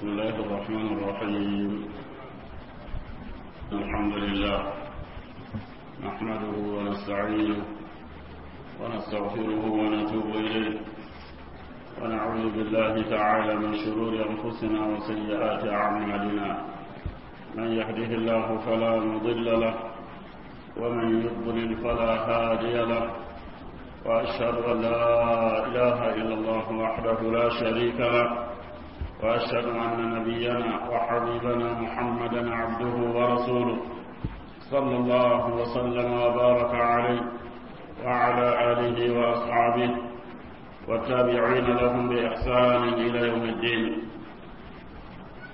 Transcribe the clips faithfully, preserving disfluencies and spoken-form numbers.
بسم الله الرحمن الرحيم. الحمد لله نحمده ونستعينه ونستغفره ونتوب إليه، ونعوذ بالله تعالى من شرور أنفسنا وسيئات أعمالنا. من يهده الله فلا مضل له ومن يضلل فلا هادي له، وأشهد أن لا إله إلا الله وحده لا شريك له، وأشهد أن نبينا وحبيبنا محمدا عبده ورسوله صلى الله وسلم وبارك عليه وعلى آله وأصحابه والتابعين لهم بإحسان إلى يوم الدين.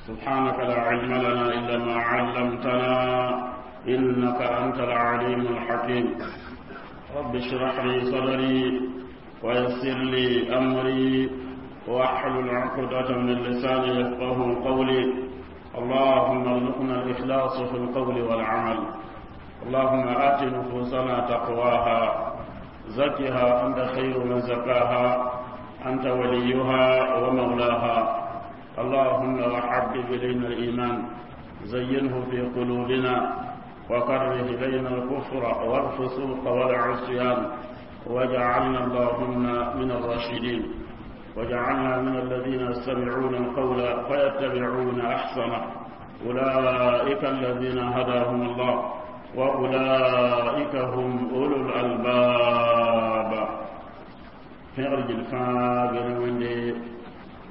سبحانك لا علم لنا إلا ما علمتنا إنك أنت العليم الحكيم. رب اشرح لي صدري ويسر لي أمري واحلل عقدة من لساني يفقه قولي. اللهم ارزقنا الإخلاص في القول والعمل. اللهم آت نفوسنا تقواها، زكها أنت خير من زكاها، أنت وليها ومولاها. اللهم وحبب إلينا الإيمان، زينه في قلوبنا، وكره إلينا الكفر والفسوق والعصيان، واجعلنا اللهم من الراشدين، وجعلنا من الذين يستمعون القول فيتبعون أحسنه، أولئك الذين هداهم الله وأولئك هم أولو الألباب. في الفاجر وندي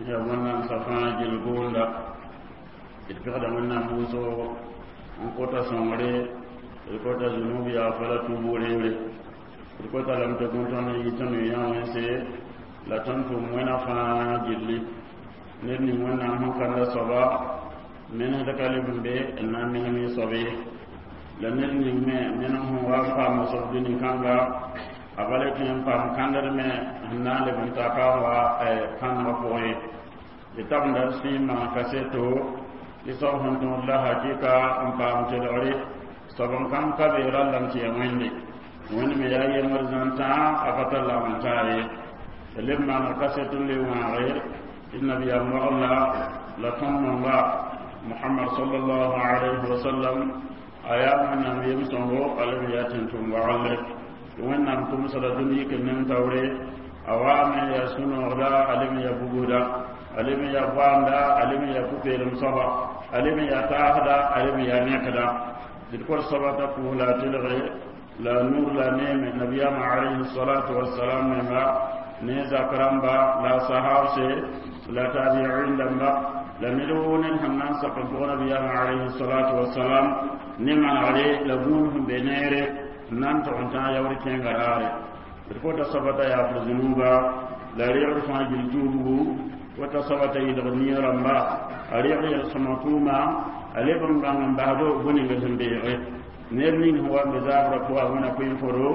يا ونن سفاجر غوندا اتفقد من موسو nkota sõngre d kota zunub yaa fala tuubu reere d kota lame tɩ gũn-tõnd n yɩ tõnd yã wẽnse la tõnd tʋm wẽna fãa gilli ned ning wẽnnaam sẽn kãnda soaba menesd ka leb n be n na n menem yẽ soab ye la ned ning me menem sẽn wa n paama soab dũni-kãnga a bala tɩ n paam kãndr me sẽn na n leb n ta ka n wa kãnegã pʋgẽ ye d tabenda d sẽn maan kaseto tɩ soab sẽn tõod la hakɩka n paam telgre soab n kãng ka be rallame tɩ yaa wẽnde wẽnd me yaa yembr zãn-tãa a pa tar lagm n taa ye leb maaneg kaset n le wãage tɩ nabiyaam wagla la tõnd nonga Muhammad sallallahu alayhi wa sallam a yaa wẽnnaam yem-sõngo a leb n yaa tẽn-tʋm waglre tɩ wẽnnaam tʋmsda dũni yik n neng taoore a waame yaa sũ-noogda a leb n yaa bugusda a leb n yaa goamda a leb n yaa pʋ-peelem soaba a leb n yaa taasda a leb n yaa nẽkda d kor soaba t'a pʋʋs la a telge la nur la neeme nabiyaamã alayhi salatu wassalam menga ne zak rãmba la sahabse la tabiin dãmba la ned woo ned sẽn na n sak n pʋg nabiyaamã alayhi salatu wassalam ne manegre la gũud sẽn be neere n na n tog n tãag yaoor kẽnga raare d kota soaba t'a yaafr zũnuuba la reegd fãa gill tuubgu wata soaba t'a yɩlg nia rãmba a reegd yel-sõma tʋʋma a leb n bãng n basdo bõe-ning sẽn beege ned ning sẽn wa n be zaabrã pʋga wẽna koe-n-foro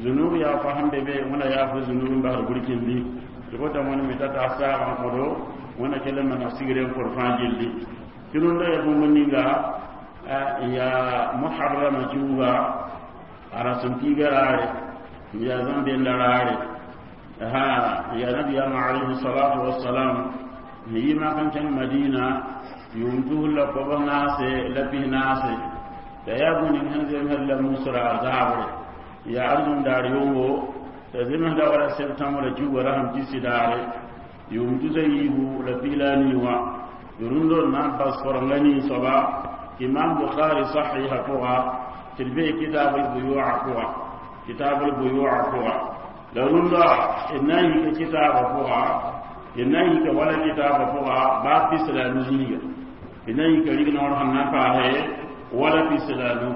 zunub yaa fa sẽn be be wẽna yaafr zunub n basd burkindi tɩ kota wẽnd me t'a taas saag n kõdo wẽna kell n maneg sigre n kor fãa gilli tɩ rũndã yaa bũmb ninga yaa muharrama kiuga a rasem kiiga raare yaa zãn-denda raare ha yaa nabiyaamã alayhi salatu wassalam n yi mak n kẽng madina yʋʋm tus la koabs naase la pis naase la yaa bũmb ning sẽn zemsd la musra zaabre yaa arzũm daar yʋngo t'a zemsda wala septembre la kiuga rasem tisi daare yʋʋm tusa yiibu la pis la a nii wã rũndõ n na n bas korenga nii soaba imam bukhari sahiha pʋga tɩ d bee kitab albuyua pʋga kitab albuyua pʋga la rũndã d na n yika kitaabã pʋga d na n yika wala kitaabã pʋga baa pis la a nu zĩiga d na n yika rignoor sẽn na n paase wala pis la a nu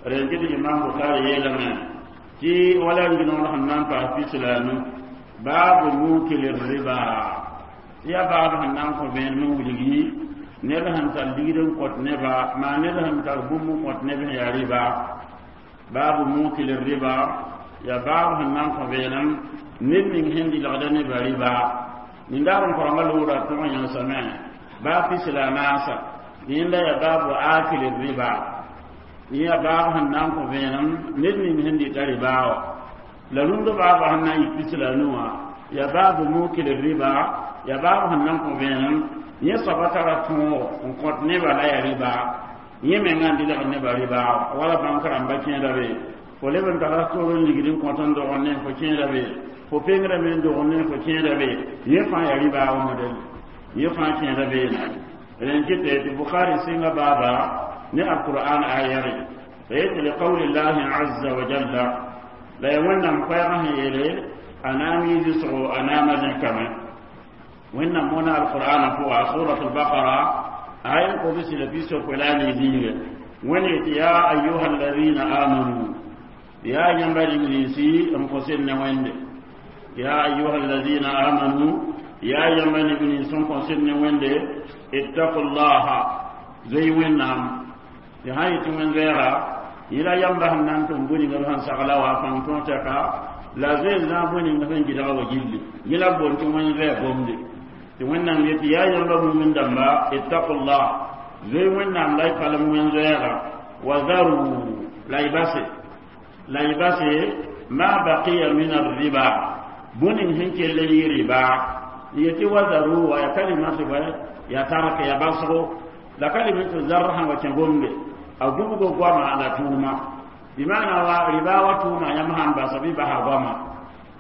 rẽn tɩ imam bukhari yeelame tɩ wala rignoor sẽn na n paas pis la a nu baabu mukil riba tɩ yaa baab sẽn na n kõ vẽenem n wilgi ned sẽn tar ligd n kõt neba maa ned sẽn tar bũmb n kõt neb sẽn yaa riba baabu mukil riba yaa baab sẽn na n kõ vẽenem ned ning sẽn dɩlgda nebã riba nindaar n korenga loora tʋg n yãnsame baa pis la a naasa yẽnda yaa baabu akil riba yẽ yaa baab sẽn na n kõ vẽenem ned ning sẽn dɩta riba wã la rũndã baabã sẽn na n yik pis la a nu wã yaa baabu mukil riba Ya baab sẽn na n kõ vẽenem yẽ soaba tara tõogo n kõt nebã la yaa rɩba yẽ menga n dɩlgd nebã rɩba wala bãnk rãmba kẽeda be fo leb n tara tor n ligd n kõt n dogr ne fo kẽeda be fo pengrame n dogr ne fo kẽeda be yẽ fãa yaa rɩba wa modɛl yẽ fãa kẽeda beene rẽn kɩte tɩ Bukhari sɩnga baaba ne alqur'an ayare fa yetɩ liqawli llahi azza wa jalla la ya wẽnnaam koɛɛgã sẽn yeele a naam yɩ zɩsgo a naama zẽkame wẽnnaam moona alqur'ana pʋga surat albaqara ayan kobsi la piso la ni zinge wẽnd yetɩ ya ayuha alladhina amanu ya yãmba rĩm-rĩnsi n kõ sed ne wẽnde ya ayuha alladhina amanu ya yãmba neb-nins n kõ sed ne wẽnde ittaqu llaha zoe wẽnnaam tɩ sã yetɩ wẽn-zoɛɛga yẽla yãmba sẽn na n tʋm bũ-ninga b sẽn sagla wa pãng tõog tɛka la zoe zã bũ-ninga sẽn gɩdga wa gilli yẽ la b boond tɩ wẽn-zoɛɛ gomde tɩ wẽnnaam yetɩ yaa yãmba mumin dãmba ittaqullah zoe wẽnnaam la y palem wẽn-zoɛɛga wa zaru la y base la y base ma baqiya min arriba bũ-ning sẽn kell n yɩ rɩba yetɩ wa zaru wa ya kalimati bõe ya tark ya basgo la kalimatu zar sãn wa kẽ gomde a gubgo goama la tʋʋma bimana wa rɩba wa tʋʋma yãmb sãn basa bɩ basa goama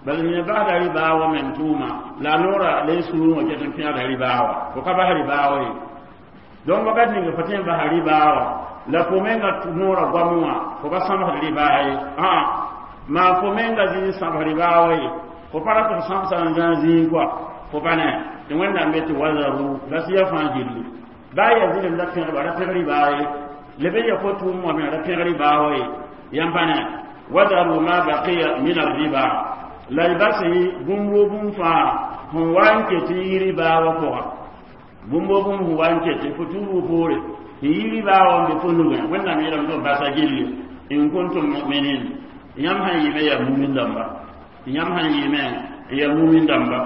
bal yẽ basda rɩba wa meng tʋʋma la noora le sũurẽ wã ket n pẽgda rɩba wa fo ka bas rɩba wa ye donc wakat ninga fo tõe n basa rɩba wa la fo menga noora goam wã fo ka sãmsd rɩba ye ã maa fo menga zĩig sãbs rɩba wa ye fo pa rat f sãmsa n zã zĩig kɔa fo pa ne tɩ wẽnnaam be tɩ wazaru bas ya fãa gilli baa ya zɩlem la pẽgba ra pẽg rɩba ye leb n ya fo tʋʋm wã me ra pẽg rɩba wa ye yãmb pa ne wazaru ma baqiya min arriba la y bas bũmb woo bũmb fãa sẽn wa n ket n yi rɩba wã pʋga bũmb woo bũmb sẽn wa n ket fo tuubg poore n yi rɩba wã n be fo nugẽ wẽnnaam yeelame tɩ b basa gilli in kuntum muminin yãmb sãn yɩɩme yaa mumin dãmba yãmb sãn yɩɩme yaa mumin dãmba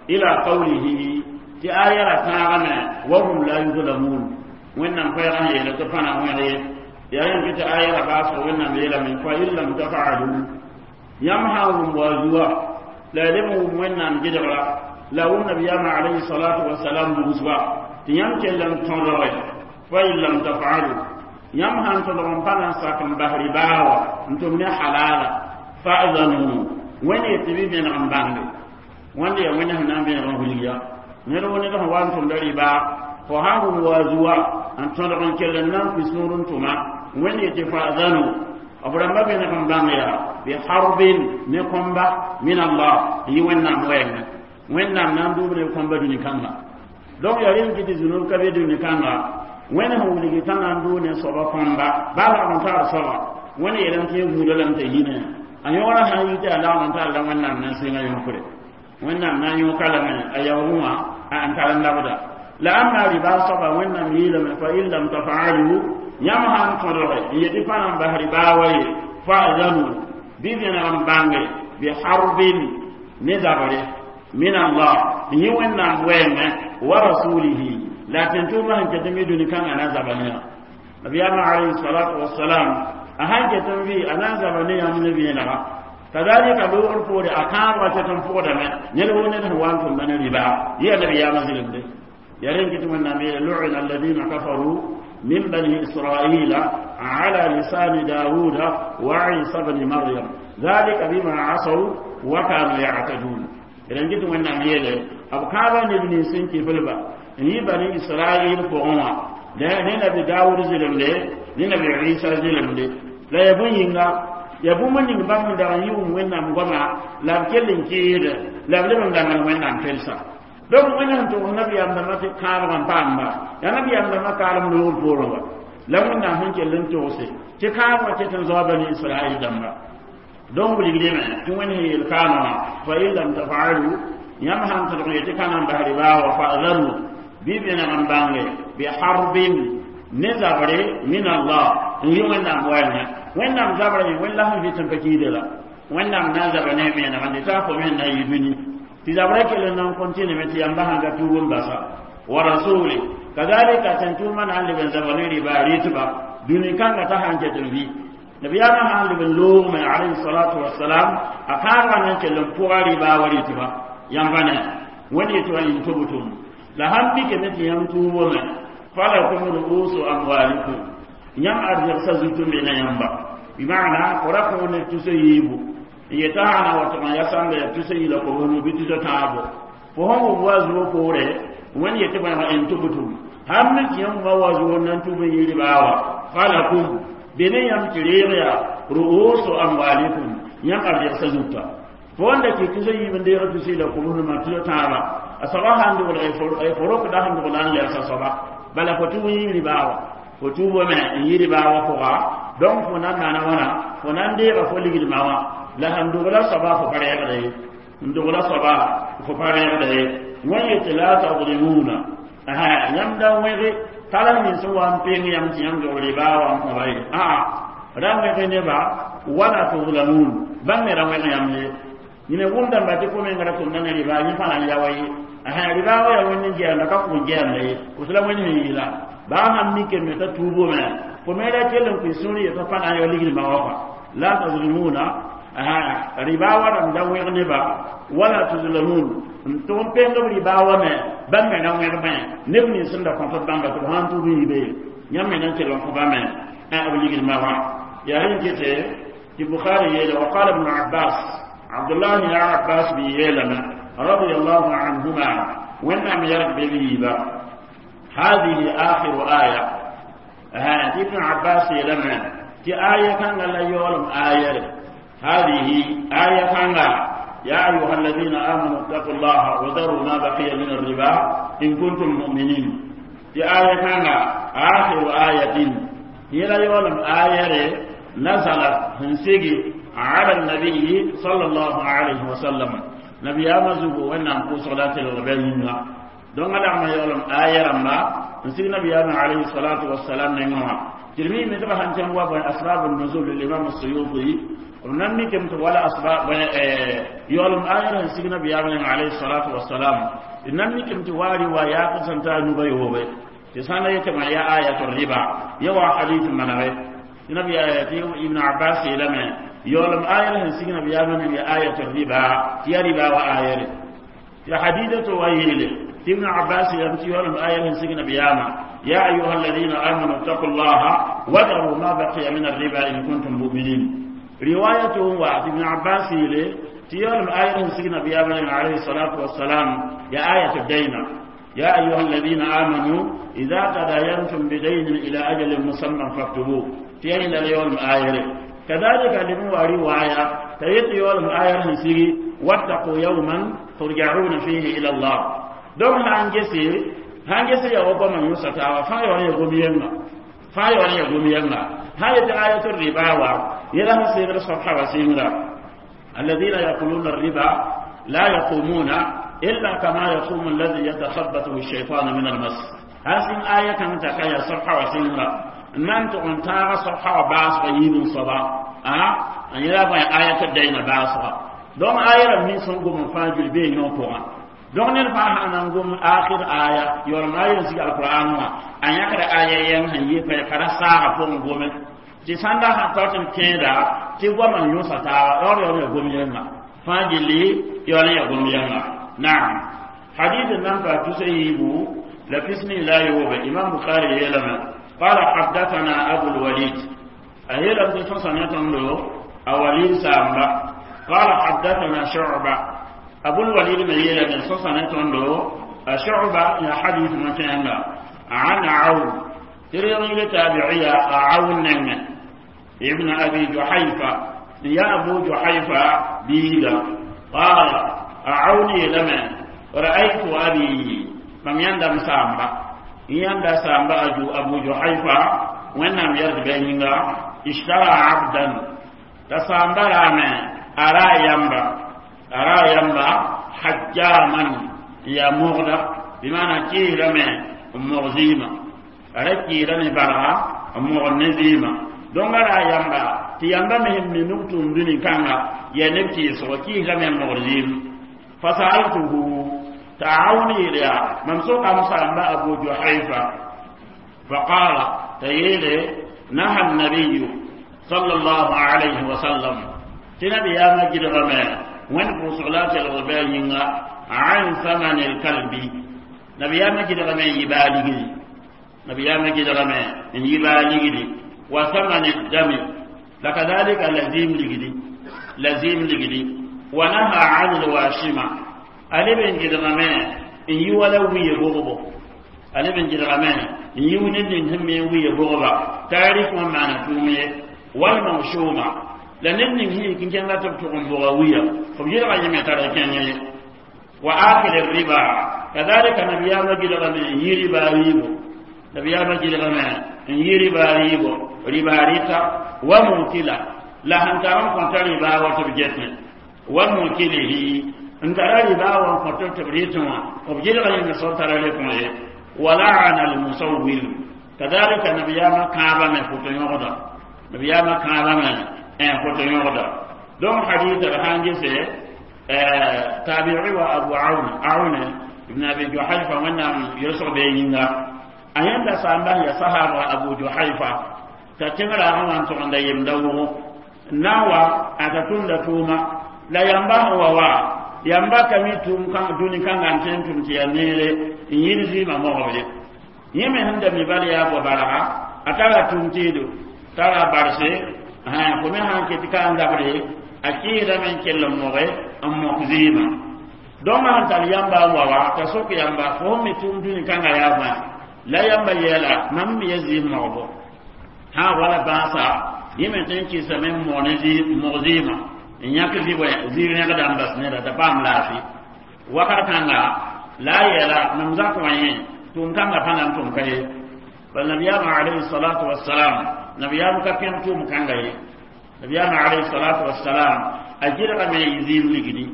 ila qawlihi tɩ aya ra tãagame wa hum la yuzlamun wẽnnaam koɛɛgã sẽn yeele tɩ pãna wẽg ye yaa yẽn tɩ aya ra baasgo wẽnnaam yeelame fa in lam tafaalu yãmb sã n wʋm wa zuwa la ya leb n wʋm wẽnnaam gɩdgra la wʋm nabiyaamã alayhi salatu wasalam bugsba tɩ yãmb kell n tõdge fa in lam tafaalu yãmb sãn tõdg n pa na n sak n bas ribaa wa n tʋm ne halala fa'zanu wẽnd yetɩ bɩ vẽneg n bãnge wẽnd yaa wẽnd sẽn na n vẽneg n wilg ya ned wo ned sẽn wa n tʋmda rɩba fo sãn wʋm wa zuwa n tõdg n kell n na n pis sũur n tʋma wẽnd yetɩ fa'zanu b rãmba vẽneg n bãng yaa bi harbin ne kõmba min allah n yɩ wẽnnaam wɛɛngẽ wẽnnaam na n duub ne kõmba dũni kãnga donc yaa rẽnd kɩ tɩ zũnub ka be dũni kãnga wẽnd sẽn wilgi t'a na n dʋʋ ne soaba kõmba baa lagm n tagr soaba wẽnd yeelame tɩ yẽ gũuda lame t'a yinã a yõora sã n yi tɩ a lagm n tar la wẽnnaam na n sɩnga yõkre wẽnnaam na n yõka lame a yaoogẽ wã n tar n labda la ãmba rɩba soaba wẽnnaam yeelame fa in lam tafaalu yãmb sãn tõdge n yetɩ pa na n bas rɩba wa ye fa'zanu bɩ vẽneg n bãnge bi harbin ne zabre min allah n yɩ wẽnnaam wɛɛngẽ wa rasulihi la tẽn-tʋʋmã sẽn ket n mi dũni kãngã na n zaba ne yã nabiyaamã alayhi salatu wasalam a sãn ket n vɩ a na n zaba ne yãmb ne vẽenega kadalika loogr poore a kãab wa ket n pʋgdame ned woo ned sẽn wa n tʋmda ne rɩba yɩ a nabiyaamã zɩlemde ya rẽn kɩ tɩ wẽnnaam yeele lu'ina alladina kafaru من بني إسرائيل على لسان داود وعيسى بن مريم ذلك بما عصوا وكانوا يعتدون إذن جد من نعميله أبو كابا نبني سنكي فلبا ني بني إسرائيل فغما ne nabi dawud zilimde ne nabi isa zilimde la ya bũn yĩnga ya bũmb ning bãmb n dag n yɩ wʋm wẽnnaam goama la b kell n kɩɩde la b leb n dãngd wẽnnaam kelsa donc wẽnd sẽn tʋgs nabiyaam dãmbã tɩ kãabg n paamba yaa nabiyaam dãmbã kaalem loogr poorẽ wa la wẽnnaam sẽn kell n togse tɩ kãabgã ket n zao bani israɛl dãmba donc wilgdame tɩ wẽnd sẽn yeel kaamã wã fa in lam tafaalu yãmb sãn tõdg yetɩ ka na n bas rɩbaa wa fa'zanu bɩ vẽneg n bãnge bi harbin ne zabre min allah n yɩ wẽnnaam wɛɛngẽ wẽnnaam zabrã yẽ wẽnd la sẽn vɩt n pa kiide la wẽnnaam na n zaba ne vẽeneg n dɩ fo me na yɩ dũni tɩ zabrã kell n na n kõntɩneme tɩ yãmba sãn ka tuub n basa wa rasuli kadalika tẽn-tʋʋmã na n leb n zaba ne rɩba rɩtba dũni kãngã t'a sãn ket n vɩ nabiyaamã sãn leb n loogme alayhi salatu wasalam a kãabgã na n kell n pʋga rɩba wa rɩtba yãmba ne Wẽnd yetɩ wã in tubtum la sãn mikame tɩ yãmb tuubame falakum ru'usu amwalikum yãmb arzegsa zutu n be na yãmba bimana fo ra kõ ned tusa yiibu n yetã sãna wa tɩg n ya sãmba ya tusa yila kobsnu bɩ tusa tãabo fo sẽn wʋm wa zuo poore wẽnd yetɩ bõe in tubtum sãn mi tɩ yãmb wʋma wa zuo n na n tʋb n yɩ ribaa wa falakum be ne yãmb tɩ reeg yaa ru'usu amwalikum yãmb arzegsa zuta fo wanda tɩ tusa yiib n deeg tusa yila kobsnumã tusa tãaba a soaba sãn dogl fo rokda sẽn dogla n lɛgsa soaba bala fo tʋb n yɩ ribaa wa fo tuubame n yɩ ribaa wa pʋga donc fo na n maana wãna fo na n deega fo ligdmã wã la sẽn dogla soaba fo pa reegda ye n dogla soaba fo pa reegda ye wẽn yetɩ la tadlimuna yãmb da wẽge tala nins n wa n peng yãmb tɩ yãmb dog ribaa wã n kõba ye aa ra wẽge neba wala tuzlamun bãmb me ra wẽg yãmb ye yẽne wʋmdãmba tɩ fo menga ra tʋmda ne ribaa yẽ fãa na n yaoa ye ribaa wa yaa wẽnd n gɛɛmda ka kʋg gɛɛmda ye fo la wẽnd sẽn yɩɩla baa sãn mikame t'a tuubome fo me ra kell n kʋɩ sũur yetã pa na n yao ligdmã wã kɔa la tazlimuna ribaa wa rãmb da wẽg neba wala tuzlamun n tʋg n peng b ribaa wa me bãmb me ra wẽg bẽ neb nins sẽn da kõt b bãmba tɩ b sãn tʋb n yibe yãmb me na n kell n kõ me b ligdmã wã yaa rẽn kete tɩ bukhari yeele wa qala ibn abbas abdullah ya abbas bi yeelame رضي الله عنهما وإنما يرد بيبا هذه آخر آية هذه ابن عباس لما تي آية كان لا يولم آية هذه آية كان يا أيها الذين آمنوا اتقوا الله وذروا ما بقي من الربا إن كنتم مؤمنين تي آية كان آخر آية هي لا يولم آية نزلت هنسيجي على النبي صلى الله عليه وسلم nabiyama zugu wẽnnaam pʋʋsg la telg bɛ yĩnga donc a dagma yaoolem aya rãmba n sig nabiyama alayhi salatu wasalam nengẽ wã tɩ d miime tɩ b sãn kẽng wa bõe asbab nuzul limam suyuti b nan mikame tɩ wala asbab yaoolem aya sẽn sig nabiyaama nengẽ alayhi salatu wasalam d nan mikame tɩ waa riwayat sẽn taa nuba yoobe tɩ sã n la yetɩ ya ayatu riba ya wa hadith manage tɩ nabiya tɩ ibn abbas yeelame يولم آية لهن سيغنا بيامن يا آية الربا يا ربا وآية يا حديثة ويلة ابن عباس يمتي يولم آية لهن سيغنا بياما يا أيها الذين آمنوا اتقوا الله وذروا ما بقي من الربا إن كنتم مؤمنين روايته وعد ابن عباس يلي تيولم آية لهن سيغنا بيامن عليه الصلاة والسلام يا آية الدين يا أيها الذين آمنوا إذا تداينتم بدين إلى أجل مسمى فاكتبوه تيين اليوم آية كذلك لمن رواية تيت يولم آية سيري واتقوا يوما ترجعون فيه إلى الله دوم هانجسي هانجسي يا وبا من يوسف فا يوني يغومينا فا يوني يغومينا هاي آية الربا يلا سيغر صفحة وسيمرا الذين يأكلون الربا لا يقومون إلا كما يقوم الذي يتخبطه الشيطان من المس هذه آية كانت تكايا صفحة وسيمرا nan tʋg n tãaga sobsa wã baasga yiib n soaba a n yela bõe aya tɩ daina baasga donc aya rãmb nins sẽn gom n fãa gil bee yõ pʋgã donc ned fãa sã na n gom akhir aya yaoolem aya n sig alqur'an wã a yãkda aya yɛng sẽn yɩ pa ra saaga pʋgẽ gome tɩ sãn da sã tao tɩ n kẽeda tɩ goamã yõsa taaba yaool yaool ya gom yẽnga fãa gilli yaool ya gom yẽnga naam hadith nan pa tusa yiibu la pisni la yoobe imam bukhari yeelame قال حدثنا أبو الوليد أهيلا بن له أوليد سامبا قال حدثنا شعبة أبو الوليد من يلا بن له شعبة يا حديث مكان عن عون تريد تابعية عون ابن أبي جحيفة يا أبو جحيفة بيلا قال أعوني لما رأيت أبي فم يندم سامبا yãnda samba aju abu juhaifa wẽnnaam yɛrd bɩ yĩnga ishtara abdan t'a samba raame a ra yamba a ra yamba hajjaman n yaa mogda bɩmaana kɩɩsrame n mog zɩɩmã a ra kɩɩsra ne barga n mogd ne zɩɩmã donc a ra yamba tɩ yamba me sẽn mi nug tʋʋm dũni-kãnga yaa neb kɩɩsgo kɩɩsrame n mogd zɩɩm fasaltuhu تعاوني يا من سوق مسامة أبو جحيفة فقال تيلي نهى النبي صلى الله عليه وسلم تنبي يا مجد غما Wẽnd pʋʋsg la a telg bɩ a yĩnga an thamani lkalbi nabiyaamã gɩdgame n yɩ baa ligdi nabiyaamã gɩdgame n yɩ baa ligdi wa thamani dami la kadhalika la zɩɩm ligdi la zɩɩm ligdi wa naha an lwashima a leb n gɩdgame n yi wala wiye bogbo a leb n gɩdgame n yi ned ning sẽn me n wiye bogba t'a rɩk wã maana tʋʋm ye walmawshuma la ned ning sẽn yik n kẽnga tɩ b tʋg n boga wiya b yelga yẽ me tara kẽngẽ ye wa akil riba kadhalika nabiyaamã gɩdgame n yi riba rɩɩbo nabiyaamã gɩdgame n yi riba rɩɩbo riba rɩta wa mukila la sẽn tar n kõta riba wa tɩ b getẽ wa mukilihi n tara riba wa n kõt tɩ b rɩtẽ wã b gɩdga yẽnde soab tara le kõ ye wa laana almusawwir kadhalika nabiyaamã kãabame foto yõgda nabiyaamã kãabame n foto yõgda donc hadith d sãn gese tabi'i wa abu aun aun ibn abi juhayfa wẽnnaam yelsg bee yĩnga a yẽnda sãamba ya sahaba abu juhayfa t'a tẽng raagã wã n togenda yemda wʋgo n na n wa a t'a tʋmda tʋʋma la yamba sẽn wa wa yamba ka mi tʋʋm dũni kãnga n tõe n tʋm tɩ yaa neere n yĩd zɩɩmã mogb ye yẽ me sẽn da mi bal yaa bao barga a tara tʋʋm tɩɩdo tara barse fo me sãn ket ka n zabre a kɩɩdame n kell n moge n mok zɩɩmã donc sẽn tar yamba n wa wa t'a sok yamba fo sẽn mi tʋʋm dũni kãnga yaa bõe la yamba yeela mam me ya zɩɩm mogbo sã wala bãasa yẽ me tõe n kɩsame n mog ne mog zɩɩmã n yãk zɩ rẽgda n bas neda t'a paam laafɩ wakat kãnga la a yeela mam zak wã yẽ tʋʋm kãngã pa na n tʋm ka ye bal nabiyaamã alayhi salatu wassalam nabiyaam ka pẽg tʋʋm kãnga ye nabiyaamã alayhi salatu wassalam a gɩdgame yɩ zɩɩm ligdi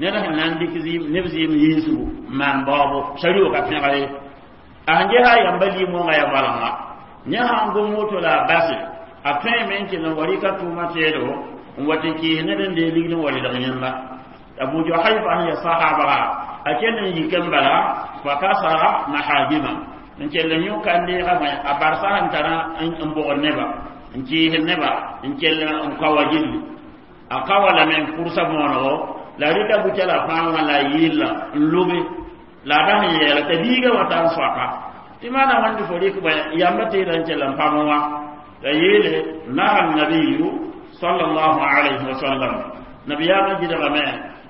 ned sẽn na n dɩk neb zɩɩm yiisgu n maan baoobo sarioo ka pẽga ye a sẽn ges a yamba lim-wãngã ya goalenga yẽ sãn gom woto la a base a tõeme n kell n wa rɩka tʋʋmã teedo n wa tɩ kɩɩs ned n dee ligd n wa rɩlg yẽnda abu juhayfa sẽn ya sahabga a kell n yik n bala fa kasara mahajima n kell n yõ kãn-deegã bõe a barsa sẽn tara n bogd neba n kɩɩsd neba n kell n kawa gilli a ka wa lame n kʋrsa võonego la rɩka butã la fãa wã la a yɩlla n lobe la a bas n yɛɛla t'a biiga wa ta n soaka tɩ maana wãnd fo rɩk bõe yamba teeda n kell n pam wã la yeele naha nabiyu sallallahu alayhi wa sallam nabiyaamã gɩdgame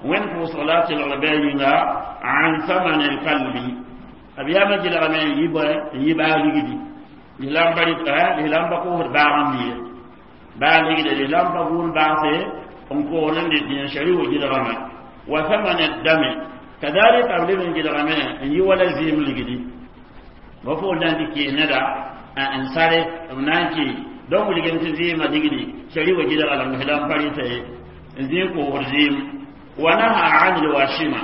wẽnd pʋʋsg la a telgl bɩ a yĩnga an thamani lkalbi nabiyaamã gɩdgame n yɩ bõe n yɩ baa ligdi lislamba lislamba koosd baag n biye baa ligde lislamba gʋʋn baase n koosd n dɩt yẽ shari wo gɩdgame wa thamani dami kadhalika b leb n gɩdgame n yɩ wala zɩɩm ligdi ba fo na n tɩ kɩɩs neda n sare b na n kɩ donc wilgem tɩ zɩɩmã ligdi shari wo gɩdga la mislam pa rɩta ye n zĩig koosd zɩɩm wa naha an lwashima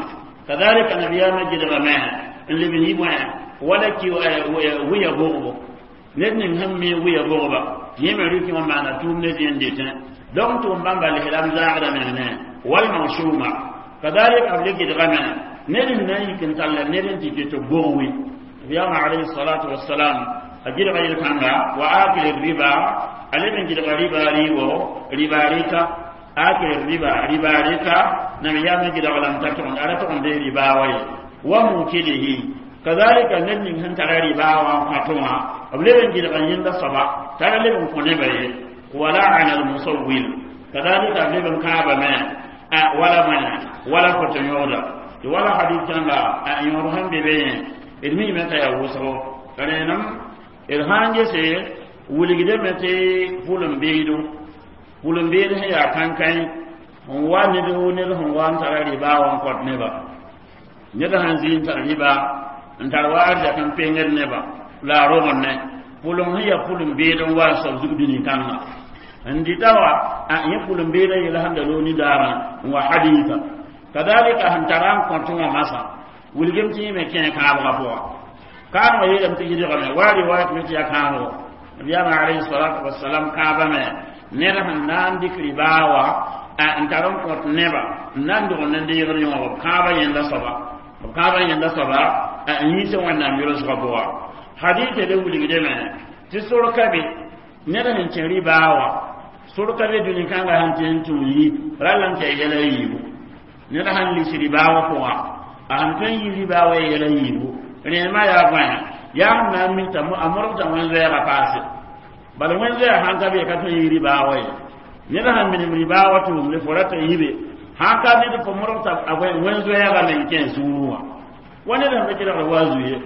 kadhalika nabiyaamã gɩdgame n leb n yɩ bõe wala ki wiya bogbo ned ning sẽn mi wiya bogba yẽ me rɩk wã maana tʋʋm ne zĩ n dɩtẽ donc tʋʋm bãmba lislam zaagda meng ne walmawshuma kadhalika b le gɩdgame ned sẽn na n yik n talla ned n tɩ tɩ bog wi nabiyama alayhi salatu wassalam a gɩdga yel-kãnga wa akil riba a leb n gɩdga riba rɩɩbo riba rɩka akil riba riba rɩka nabiyaamã gɩdg lame t'a tʋgend a ra tʋg n dee riba wa ye wa mukilihi kadhalika ned ning sẽn tara riba wã n kõ wã b leb n gɩdg n yẽnda soaba t'a ra leb n kõ nebã ye wa laana almusawwir kadhalika b leb n kãabame wala bõe wala foto yõgda tɩ wala hadith kãnga a yõod sẽn be be yẽ d miime t'a yaa wʋsgo rẽenem d sãn gese wilgdame tɩ pʋlem-beedo pʋlem-beed sẽn yaa kãnkãe n wa ned ned sẽn wa n tara rɩba wã n kõt neba ned sãn zĩ n tar rɩba n tar wa arzɛk n pengd neba la a rogenne pʋlem sẽn yaa pʋlem-beed n wa n soab zug dũni kãngã n dɩta wa yẽ pʋlem-beedã yel sẽn da loog nidaarã n wa haditha kadhalika sẽn tara n kõt wã masã wilgem tɩ yẽ me kẽ kãabgã pʋga kãabgã yeelame tɩ gɩdgame wa riwayat me tɩ yaa kãabgo nabiyaamã alayhi salatu wasalam kãabame ned sẽn na n dɩk ribaa wa n tar n kõt neba n na n dog n deegd yõog b kãabã yẽnda soaba b kãabã yẽnda soaba n yiis wẽnnaam yʋlsgã pʋga hadita le wilgdame tɩ sor ka be ned sẽn kẽ ribaa wã sor ka be dũni kãngã sẽn tɩ n tũ yi rall n tɩ yɛla yiibu Ned sãn lis ribaa wã pʋga, a sẽn tõe n yi ribaa wa yɛla yiibu, rẽndmã yaa bõe? Yaa sẽn na n mik t'a a modg t'a wẽn-zoɛɛgã paase. Bala wẽn-zoɛɛg sãn ka be, ka tõe n yi ribaa wa ye. Ned sãn minim ribaa wa tʋʋmde, fo rata yibe, sãn ka ned fo modg t'a wẽn-zoɛɛgã meng kẽ sũurẽ wã. Wa ned sẽn pa kelgd wa zu ye,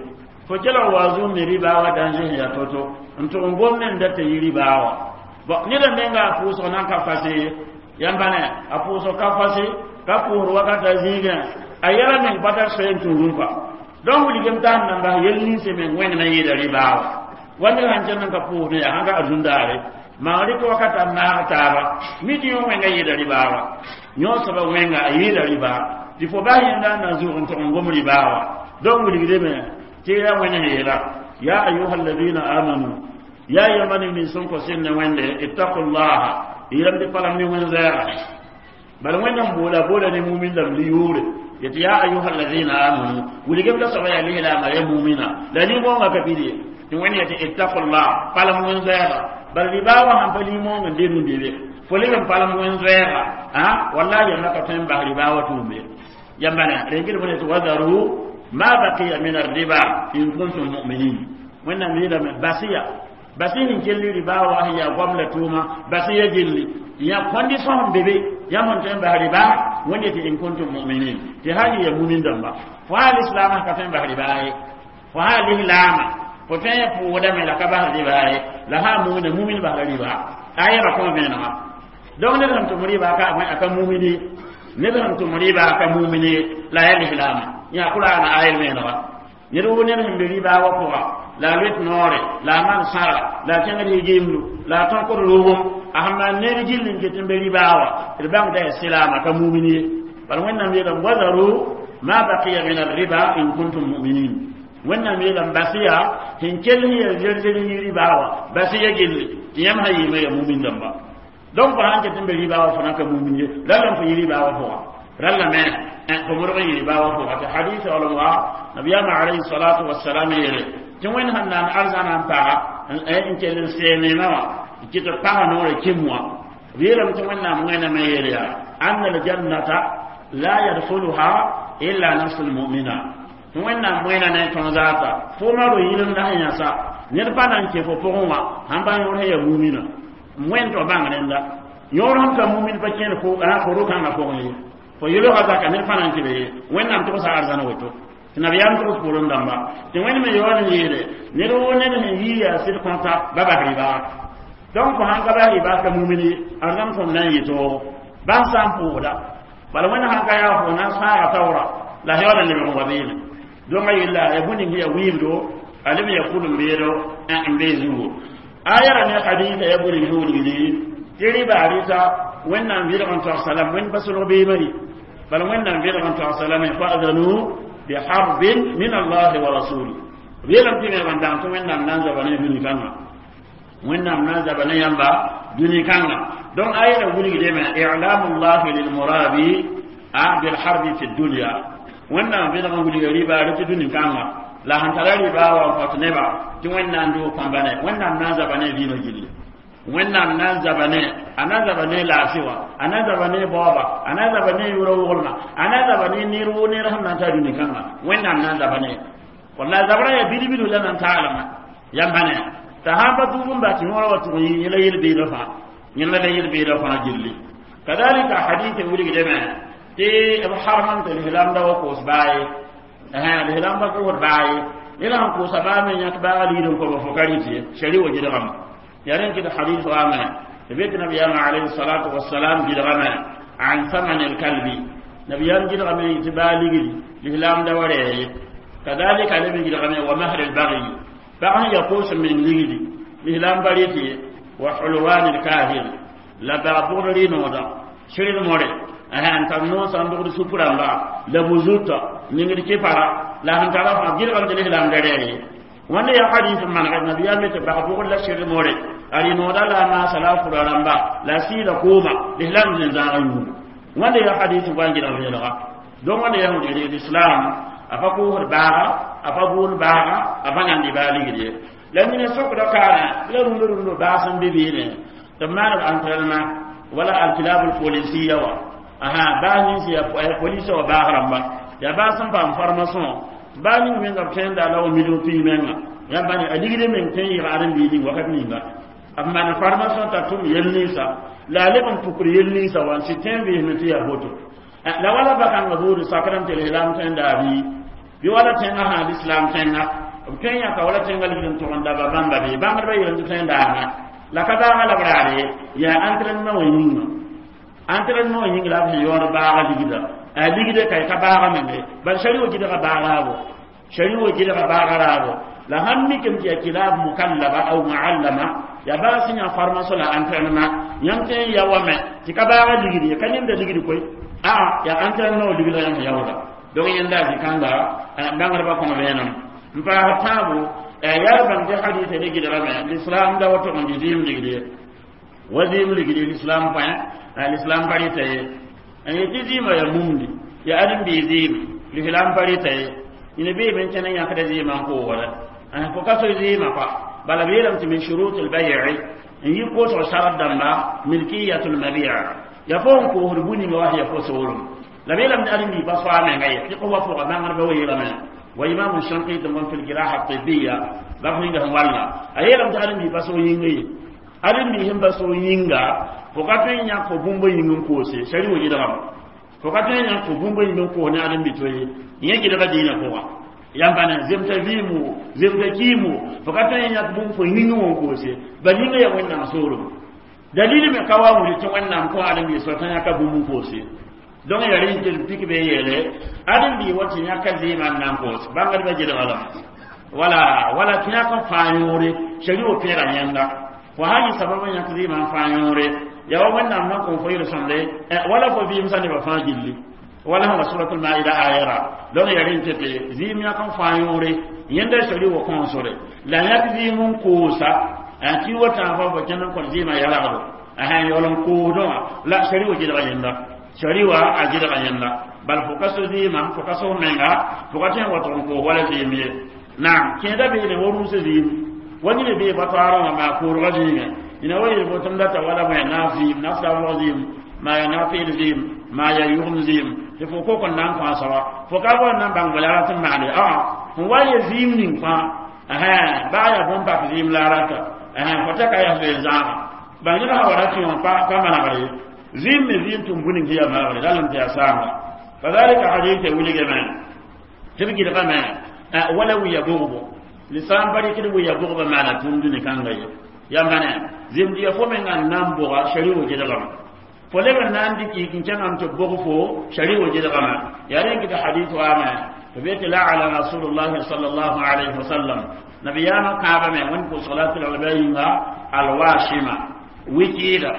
fo kelg wa zu me ribaa wa danger sẽn yaa to-to n tʋg n gom ne n dat t'a yi ribaa wa. Bon, ned n menga a pʋʋsg nan ka fase ye, yãmb ne a pʋʋsg ka fase, ka pʋʋsd wakata zĩigẽ, a yɛla meng pa tar soe n tũudẽ kɔa. Donc wilgem t'a sẽn nan bas yel ninsẽ meng wẽng na n yɩɩda ribaa wa. Wa ned sãn kẽnd n ka pʋʋsdẽ yaa sãn ka arzũndaare maan rɩk wakata n naag taaba, mi tɩ yõ wẽnga yɩɩda ribaa wa. Yõ soaba wẽnga a yɩɩda ribaa tɩ fo bas yẽnda n na zʋg n tʋg n gom ribaa wa. Donc wilgdame tɩ ya wẽnd sẽn yeela: ya ayuha alladina amanu, ya yãmba ne nins sẽn kõ sẽnd ne Wẽnde, ittaqullaha, yɩlame tɩ palam ne wẽn-zɛɛga. Bala Wẽnnaam boola boola ne mumin dãmb li yʋʋre yetɩ ya ayuha alladina amanu, wilgem la soaba yaa lislaama, ya mumina la nin-wõngã ka pid ye, tɩ Wẽnd yetɩ ittaqullah, palem wẽn-zoɛɛga. Bala ribaa wã sãn pa nin-wõng n de rũndebe, fo leb n palem wẽn-zoɛɛga, wallahi yãmba ka tõe n bas ribaa wã tʋʋmbe. Yãmba ne rengd bõe tɩ wadaru ma baqiya min arriba in kuntum mu'minin. Wẽnnaam yeelame basiya basi sẽn kelli ribaa wa sẽn yaa goam la tʋʋma, basi ya gilli tɩ yã condition sẽn be be yãmb sẽn tõe n bas ribaa. Wẽnd yetɩ in kuntum mu'minin, tɩ sã n ya mumin dãmba, fo sã lislaamã ka tõe n bas ribaa ye, fo sã lislaamã fo tõe n pʋʋdame la ka bas ribaa ye, la sã mumina, mumin basra ribaa a yɛba kõn vẽenega. Donc ned sẽn tʋm ribaa ka a ka mumini, ned sẽn tʋm ribaa ka mumini la ya lislaamã yã Qur'ana ayel vẽenega. Ned woo ned sẽn be ribaa wa pʋga, la a loet noore, la a maan sãra, la a kẽngd yɩ-gimdu, la a tõkd rogem, a sẽn maan ned gill n ket n be ribaa wa, d bãng da yaa silaama, ka mumini ye. Bala Wẽnnaam yeelame wadaru ma baqiya min arriba in kuntum mu'minin. Wẽnnaam yeelame basiya sẽn kell sẽn yaa zer-zer n yi ribaa wa, basiya gilli tɩ yãmb sã yɩɩma yaa mumin dãmba. Donc fo sãn ket n be ribaa wa, fo na ka mumin ye, ralla n fo yɩ ribaa wa pʋga, ralla me fo modg n yɩ ribaa wa pʋga. Tɩ hadis wala wa nabiyama alayhi salatu wassalam yeele tɩ Wẽnd sẽn naan arzãna n paga n kell n see neemã wã n kɩt b pasa noorã kĩm wã, b yeelame tɩ Wẽnnaam wẽnnaamã yeel yaa anna aljannata la yadkhuluha illa nafsu lmumina, tɩ Wẽnnaam wẽna ne tõog zaata fo ma ro yɩlemda sẽn yãsa ned pa na n kẽ fo pʋgẽ wã sãn pa yõor sẽn yaa mumina. Wẽnd tɩ bãng rẽnda yõor sẽn ka mumin pa kẽed fo ro-kãngã pʋgẽ ye, fo yelga zaka ned pa na n kẽ be ye. Wẽnnaam tʋgsa arzãna woto tɩ nabiyaam togs poorẽ dãmba tɩ Wẽnd me yaool n yeele ned woo ned sẽn yii yaa sɩd kõta ba bas ribaa. Donc fo sãn ka bas ribaa ka mumin ye, arzãn tõnd na n yɩ toogo bas sã n pʋʋsda. Bala Wẽnd sãn ka yaa fo na n sãaga taoora la yaool n lebg n wa beene. Donc a yella ya bũmb ning ya wiibdo, a leb ya kul n beedo n bee zugo. Aya ra ne hadisa ya bũmb ning wilgdi tɩ ribaa rɩta Wẽnnaam vɩlg n tog salam, Wẽnd pa solg beemã ye. Bala Wẽnnaam vɩlg n tog salame fa'zanu biharbin min Allahi wa rasuli, b yeelame tɩ me dang tɩ Wẽnnaam na n zaba ne dũni kãnga, Wẽnnaam na n zaba ne yãmba dũni kãnga. Donc aya ra wilgdame i'lamu llahi lilmurabi a bilharbi fi dunya. Wẽnnaam vɩlg n wilga ribaa rɩ tɩ dũni kãnga la sẽn tara ribaa wa n fat neba tɩ Wẽnnaam doog pãmba ne Wẽnnaam na n zaba ne vɩɩmã gilli, Wẽnnaam na n zaba ne a na n zaba ne laafɩ wã, a na n zaba ne baooba, a na n zaba ne yʋra woglmã, a na n zaba ne ner woo ner sẽn na n taa dũni kãnga. Wẽnnaam na n zaba ne walla zabra yaa bilb la na n taalmã yãmba ne t'a sãn pa tʋʋg n bas tɩ yõora wa tʋg n yɩ yẽla yel-beedã fãa, yẽla la yel-beedã fãa gilli. Kadalika hadith wilgdame tɩ b harmam tɩ lislaamda wa koos baa ye, lislaam pa koosd baa ye. Ned sãn koosa baa me yãk baaga liid n koba fo ka rɩt ye, shari wa gɩdgame yaa rẽn kɩt hadith waame tɩ be tɩ nabiyaamã alayhi salatu wasalam gɩdgame an thaman alkalbi, nabiyaam gɩdgame tɩ baa ligdi lislaam da wa rɛɛ ye. Kadalika leb n gɩdgame wa mahr albagyi, pag sẽn ya koos meng ligdi lislaam pa rɩt ye, wa hulwan alkahin, la bag bʋgd rɩ-noodã sɩrd more n tar noosã n dogd supurãmba la bu-zutã ningd kɩpara la sẽn tara fãa gɩdgame tɩ lislaam da rɛɛ ye. Wẽnda yaa hadis n maneg nabiyaam tɩ bag bʋgd la sɩrd more a rɩ-nooda la a maasa la a fura rãmba la a sɩɩda kooma lislaam zĩn-zãagã yũugo. Wẽnda yaa hadis n wa n gɩdg vẽenega. Donc wẽnda yaa wẽnd lislaam a pa koosd baaga, a pa boond baaga, a pa nandi baa ligd ye. La nina sokda kaana la rũndã rũndã baas n be beene tɩ b maan b entraînement wala alkilab alpolisiya wa Aha baa nins ya police wa baag rãmba yaa baa sẽn paam formation baa ning menga b tẽnda la wa million pii menga yãmb bãne a ligd meng tõe n yɩg aren-biig ning wakat ninga b maan formation t'a tʋm yel ninsa la a leb n pukr yel ninsa wa n sɩ tẽ n beesme tɩ yaa boto la wala bakãngã buud sakrame tɩ lislaam tẽnda bɩ bɩ wala tẽngã sã lislaam tẽnga b tõe n yãka wala tẽngã ligd n tʋg n daba bãmba bɩ bãngdbã yeelame tɩ tẽndaamã la ka baaga la b raar ye yaa entraînement wã yĩnga entraînement wã yĩng la b sẽn yaood baaga ligda a ligde ka ka baaga menge bal shari wo gidga baagaabo shari wo gidga baaga raabo la sãn mikame tɩ yaa kilab mukallaba aw muallama ya baa sẽn yã formation la entraînement yãmb tõe n ya wame tɩ ka baaga ligd ye ka yẽmda ligd koe aa yaa entraînement wã ligda yãmb yaooda donc yẽnda zĩ-kãnga bãngdbã kõng vẽenem n paas tãabo yaa bãng tɩ hadisa ne gɩdgame l'islam da wa tog n dɩ zɩɩm ligd ye wa zɩɩm ligd l'islam põe l'islam pa rɩta ye n yetɩ zɩɩmã ya mumdi ya ãdem-biig zɩɩm l'islam pa rɩta ye ina beeme n kẽn n yãkda zɩɩmã n koogda fo ka soe zɩɩmã pa bala b yeelame tɩ min shurut lbay'i n yi koosg sarat dãmba milkiyatul mabia ya fo n koosd bu-ninga wa ya fo soolem la b yeelame tɩ ãdem-biig pa soa menga ye fiq wa pʋga bãngdbã wa yeelame wa imam shanqiti mon fil jiraha tibbiya bab ninga sẽn walla a yeelame tɩ ãdem-biig pa so yĩnga ye ãdem-biig sẽn pa so yĩnga fo ka tõe n yãk fo bũmb yĩng n koose sari wo gɩdgame fo ka tõe n yãk fo bũmb yĩng n koos ne ãdem-bi to ye yẽ gɩdga diinã pʋga yãmb ne zemta vɩɩmo zemta kiimo fo ka tõe n yãk bũmb fo yĩng wã n koose bal yĩnga yaa wẽnnaam soolem dalil me ka wa willi tɩ wẽnnaam kõ ãdem-biig soa t'a yãka bũmb n koose donc yaa rẽn tɩ pik be yeele ãdem-biig wa tɩ yãka zɩɩmã n na n koos bãngdbã gɩdga lame wala wala tɩ yãk n fãa yõore shari wo peega yẽnda fo sã yɩ sabab n yãk zɩɩmã n fãa yõore yaa wa wẽnnaam na n kõ fo yel-sõmde wala fo vɩɩm sã nebã fãa gilli wala sẽn wa suratul maida ayara donc yaa rẽn tɩ tɩ zɩɩm yãk n fãa yõore yẽnda shari wo kõosore la yãk zɩɩm n koosa tɩ wa tãag fa fo kẽnd n kõt zɩɩmã yalgdo yaool n koosdẽ wã la shari wo gɩdga yẽnda shari wa a gɩdga yẽnda bal fo ka so zɩɩmã fo ka so menga fo ka tõe n wa tʋg n koos wala zɩɩm ye naam kẽeda beene wa rũusã zɩɩm wa nina bee pa toaarã wã maa koorgã zĩigẽ ina wa yel botem data wala bõe naaf zɩɩm nafsa zɩɩm maa yaa naaf-peed zɩɩm maa yaa yʋgem zɩɩm tɩ fo kok n na n kõ soaba fo ka bao n na n bãng bala rat n maande aa fõ wa ye zɩɩm ning fãa baa yaa bõn-pak zɩɩm la a rata fo ta ka yaa zoe zãama bal ned sã wa ra tɩ wã pa manegre ye zɩɩm me zɩɩm tʋm bũ ning tɩ yaa maagre ralem tɩ yaa saanga kazalika hadith wilgame tɩ b gɩdgame wala wiya bogbo lislaam pa rɩkd wiya bogba maana tũud ne kãnga ye yãmba ne zemd ya fo menga n na n bʋga shari wo gɩdgame fo leb n na n dɩk yik n kẽngame tɩ bog fo shari wo gɩdgame yaa rẽn kɩtɩ hadith waame tɩ be tɩ la'ala rasulullahi sallallahu alayhi wa sallam nabiyaamã kãabame wẽnd pʋʋsg la tɩlgl yĩnga alwashima wikɩɩda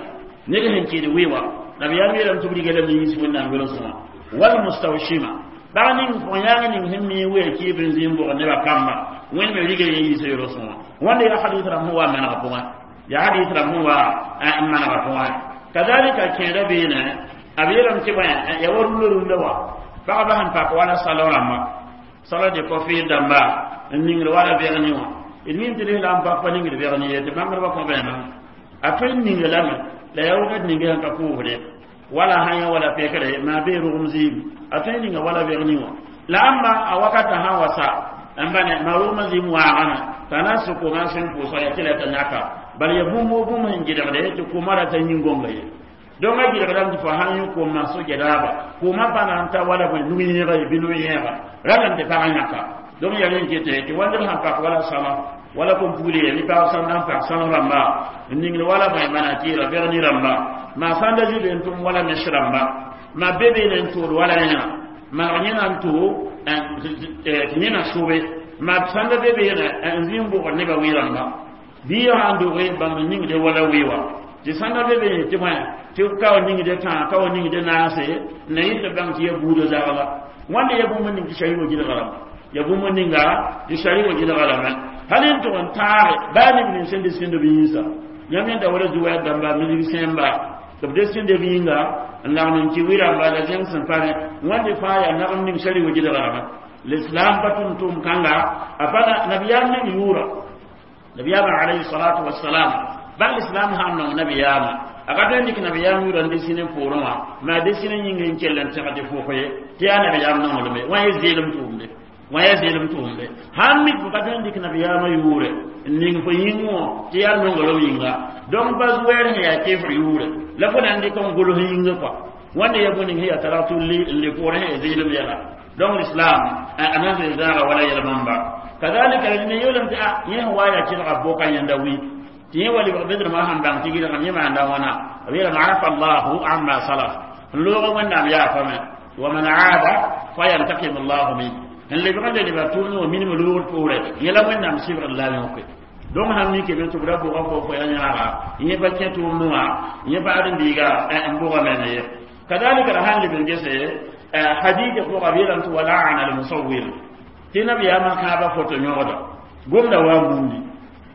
ned sẽn kɩɩd wɩ-wã nabiyaam yeelame tɩ b riga lame yĩns wẽnnaam welsẽ wã walmustawshima bag ning fo yãng ning sẽn mi wee kɩɩb n zĩ n bʋgd nebã kamba wẽnd me riga yẽ yiisa yolsẽ wã wãnda yaa hadith rãmb sẽn wa manegã pʋgẽ yaa hadith rãmb sẽn wa n manegã pʋgẽ kazalika kẽeda beene b yeelame tɩ bõe ya wa rũndã rũndã wa pagba sẽn pak wala salon rãmba salon de coiffure dãmba n ningd wala vẽgen wã d mim tɩ lislaam pak pa ningd vẽgen ye tɩ bãngdbã kõ vẽenã a tõe n ninga lame la yaa wakat ninga sẽn ka pʋʋsde wala sã yã wala pekre maa bee rogem zɩɩm a tõe n ninga wala vẽgen wã la ãmba a wakata sã wa sa n bãne maa rogmã zɩɩm waagame t'a na n sʋk koma sẽn pʋʋsga yaa tɩ la t'a yãka bal ya bũmb o bũmb sẽn gɩdgde tɩ kʋʋmã rata yĩn-gõnga ye donc a gɩdgdame tɩ fo sãn yẽ kʋʋmã so-gɛdaaba kʋʋmã pa na n ta wala bõe nug-yẽega ye bɩ no-yẽega ralame tɩ pagã yãka donc yaa rẽn kete tɩ wãndr sãn pak wala sãma wala kom pugl ye bɩ pag sãmb n pak sãm rãmba n ningd wala bõe mana tɩɩra vẽgni rãmba maa sãn da zɩ n tʋm wala mes rãmba ma be beene n tʋʋd wala yẽna maneg yẽna n tʋ tɩ yẽna sʋbe ma sãn da be beene n zĩ n bʋgd nebã wɩ rãmba bɩ sãn doge bãmb n ningde wala wɩ wa tɩ sãn da be beene tɩ bõe tɩ ka wa ningde tãa ka wa ningde naase na yɩ tɩ bãng tɩ ya buudã zagla wãnda ya bũmb ning tɩ shari wa gɩdga rãmba ya bũmb ninga tɩ shari wa gɩdga rãmba hal n tʋg n taage baa neb ning sẽn de sẽnd b yĩnsa yãmb yẽnda wala zu-wɛɛ dãmba misg sẽmba tɩ b de sẽnd b yĩnga n lagm n kɩ wɩ-rãmba la zẽng sẽn pa ne wãnde fãa yaa nagem ning shari wa gɩdga rãmba l'islam pa tʋm tʋʋm kãnga a pa nabiyaam ning yʋʋra nabiyaamã alayhi salatu wassalam bal l'islam sãn nong nabiyaamã A ka tõe n dɩk nabiyaam yʋʋra n desine poorẽ wã, maa desine yĩng n kell n tẽg tɩ fʋʋk ye tɩ yaa nabiyaam nonglme wã ye zeelem tʋʋmde, wã yaa zeelem tʋʋmde. Sãn mik fo ka tõe n dɩk nabiyaamã yʋʋre n ning fo yĩng wã tɩ yaa nonglem yĩnga, donc pa wɛɛr sẽn yaa kefr yʋʋre la fo na n dɩk n gʋls yĩngã kɔa. Wãnda ya bũmb ning sẽn yaa targ tulli n le poorẽ sẽn ya zeelem yɛla. Donc l'islam a nan zoe zãaga wala yɛl bãmba. Kadalika ne yeelame tɩ a yẽ sẽn wa yaa kelga boka yẽnda wi tɩ yẽ wa lebg bedrmã sẽn bãng tɩ gɩlgem yẽ maanda wãna b yeelame afa llahu amma salaf n loog wẽnnaam yaafame wa man aada fayantakim llahu min n lebg n le lebga tʋʋmd wã minim loogd poorɛ yẽ la wẽnnaam sɩbgd la yõke. Donc sãn mike be tɩ b ra bʋga fo fo ya yãaga yẽ pa kẽ tʋʋmd wã yẽ pa ãdem-biiga n bʋgame me ye. Kadalika la sãn leb n gese hadith pʋga b yeelame tɩ walaana almusawir tɩ nabiyaamã kãabã foto yõgda gomda wa bundi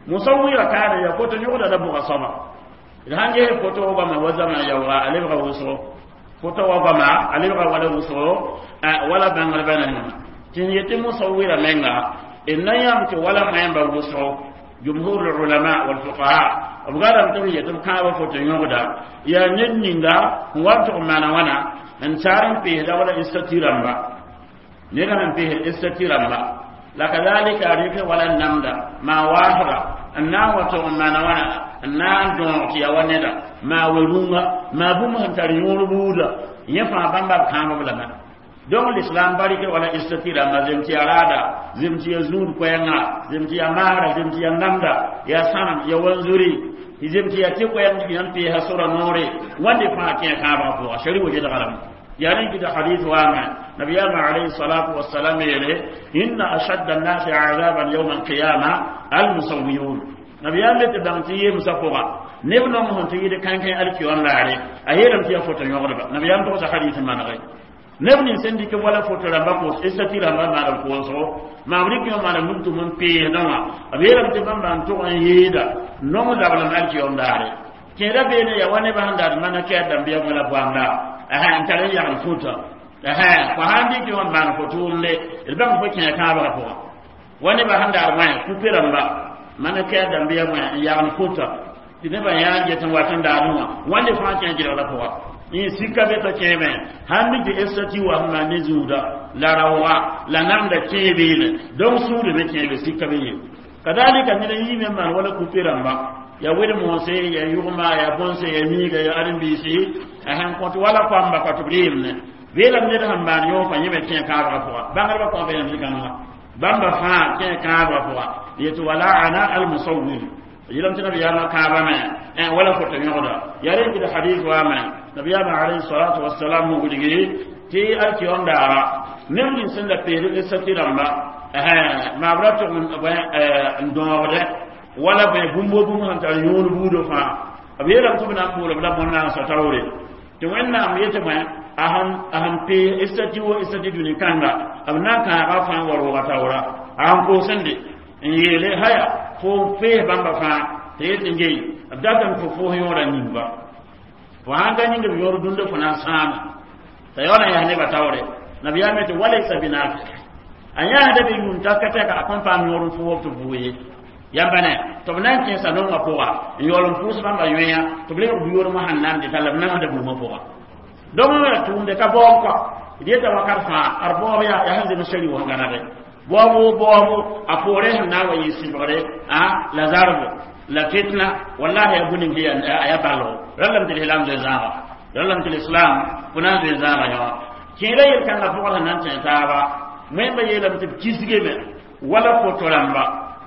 musawira kaana ya foto yõgda la bʋga soaba d sãn ges foto wa goama wa zama yaooga a lebga wʋsgo foto wa goama a lebga wala wʋsgo wala bãngrba nengã tɩ n yetɩ musawira menga d na yãmb tɩ wala maẽmba wʋsgo jumhur ulama walfuqaha b gadame tɩ b yetɩ b kãabã foto yõgda yaa ned ninga n wa n tʋg n maana wãna n taar n peesda wala statue rãmba ned sẽn peesd statue rãmba la kadalika a rɩk wala n namda maa waasga n na n wa tʋg n maana wãna n na n dõog tɩ ya wa neda maa we-rũngã maa bũmb sẽn tar yõor buuda yẽ fãa bãmba b kãab lame. Donc l'islam barike wala statue rãmba zem tɩ ya raada zem tɩ ya zũud koɛɛngã zem tɩ ya maara zem tɩ ya namda ya sãnem ya wanzuri zem tɩ ya tɩ koɛɛng tɩ yãmb peesa sora noore wãnde fãa kẽ kãabgã pʋga shari wa gedga lame. يعني كده حديث وامع نبينا عليه الصلاة والسلام يلي إن أشد الناس عذابا يوم القيامة المصويون نبينا تبانتي مسفوغا نبنا مهن تيجي كان كان ألف يوم لاري أهيرم تيا فوتو يغرب نبينا تقول حديث ما نغي نبني سندي كم ولا فوتو رamba ko istati ramba ma ram ko so ma wuri ko ma ram tu mun pe nawa aberam te bamba to an yeda no mo dabla alki yom lare kera bene ya wane ba handar mana ke dambiya wala bwanda aha n tar n yagl fota aha fo sãn dɩk wã n maan fo tʋʋmde d bãng fo kẽ kãabgã pʋga wa nebã sẽn daar wã kupe rãmba mana kɛ dãmbiya wã n yagl fota tɩ nebã yãa get n wat n daadẽ wã wãnde fãa kẽ gɩlgrã pʋga yẽ sika be t'a kẽeme sãn mik tɩ estati wa sẽn maan ne zũuda la raooga la namda kẽebeene donc sũurd be kẽebe sika be ye kadalika ned n yiime n maan wala kupe rãmba ya wed moose ya yʋgma ya bõnse ya miiga ya ãdem-biisi sẽn kõt wala koamba ka tɩ b rɩɩmne beelame ned sẽn maan yõo fã yẽ me kẽ kãabgã pʋga bãngdbã kõ beelame zĩ-kãngã bãmba fãa kẽ kãabgã pʋga yetɩ walaana almusawir yeelame tɩ nabiyaamã kãabame wala foto yõgda yaa rẽ kɩd hadis waame nabiyaamã alayhi salatu wasalam wilgi tɩ alkiyom daara neb nins sẽn la peed stati rãmba maa b ra tʋg n dõogdɛ wala bõe bũmb wo bũmb sẽn tar yõor buudã fãa b yeelame tɩ b na n boolb la bõn-nansã taoore tɩ wẽnnaam yetɩ bõe a sẽn pee stati wo stati dũni kãnga b na n kãaga fãa n wa rooga taoora a sẽn koosende n yeele haya fo n pees bãmba fãa tɩ yet n gei b datame fo foos yõorã ningba fo sãn ka yĩng b yõor dũnda fo na n sãama t'a yaool n yaa nebã taoore nabiyaam tɩ walaysa binafik a yãasda be yũum taka tɛka a kõn paam yõor n fʋʋb tɩ bʋ ye yãmba ne tɩ b na n kẽesa nongã pʋga n yaool n pʋʋs bãmba yõeya tɩ b lebg bu-yoormã sẽn namde t'a la b namsda buumã pʋga donc ra tʋʋmde ka baoob kɔa d yeta wakat fãa ad baoob yaa yaa sẽn zems shari wã gãnege baoobo baoobo a poorẽ sẽn na n wa yɩ sɩbgre a la zarbo la fitna wallahi ya bũmb ning a yaa balgo ralame tɩ lislam zoe zãaga ralame tɩ lislam fo na n zoe zãaga yõ kẽeda yel-kãngã pʋgã sẽn na n tẽ taaba wẽmba yeelame tɩ b kisgeme wala foto rãmba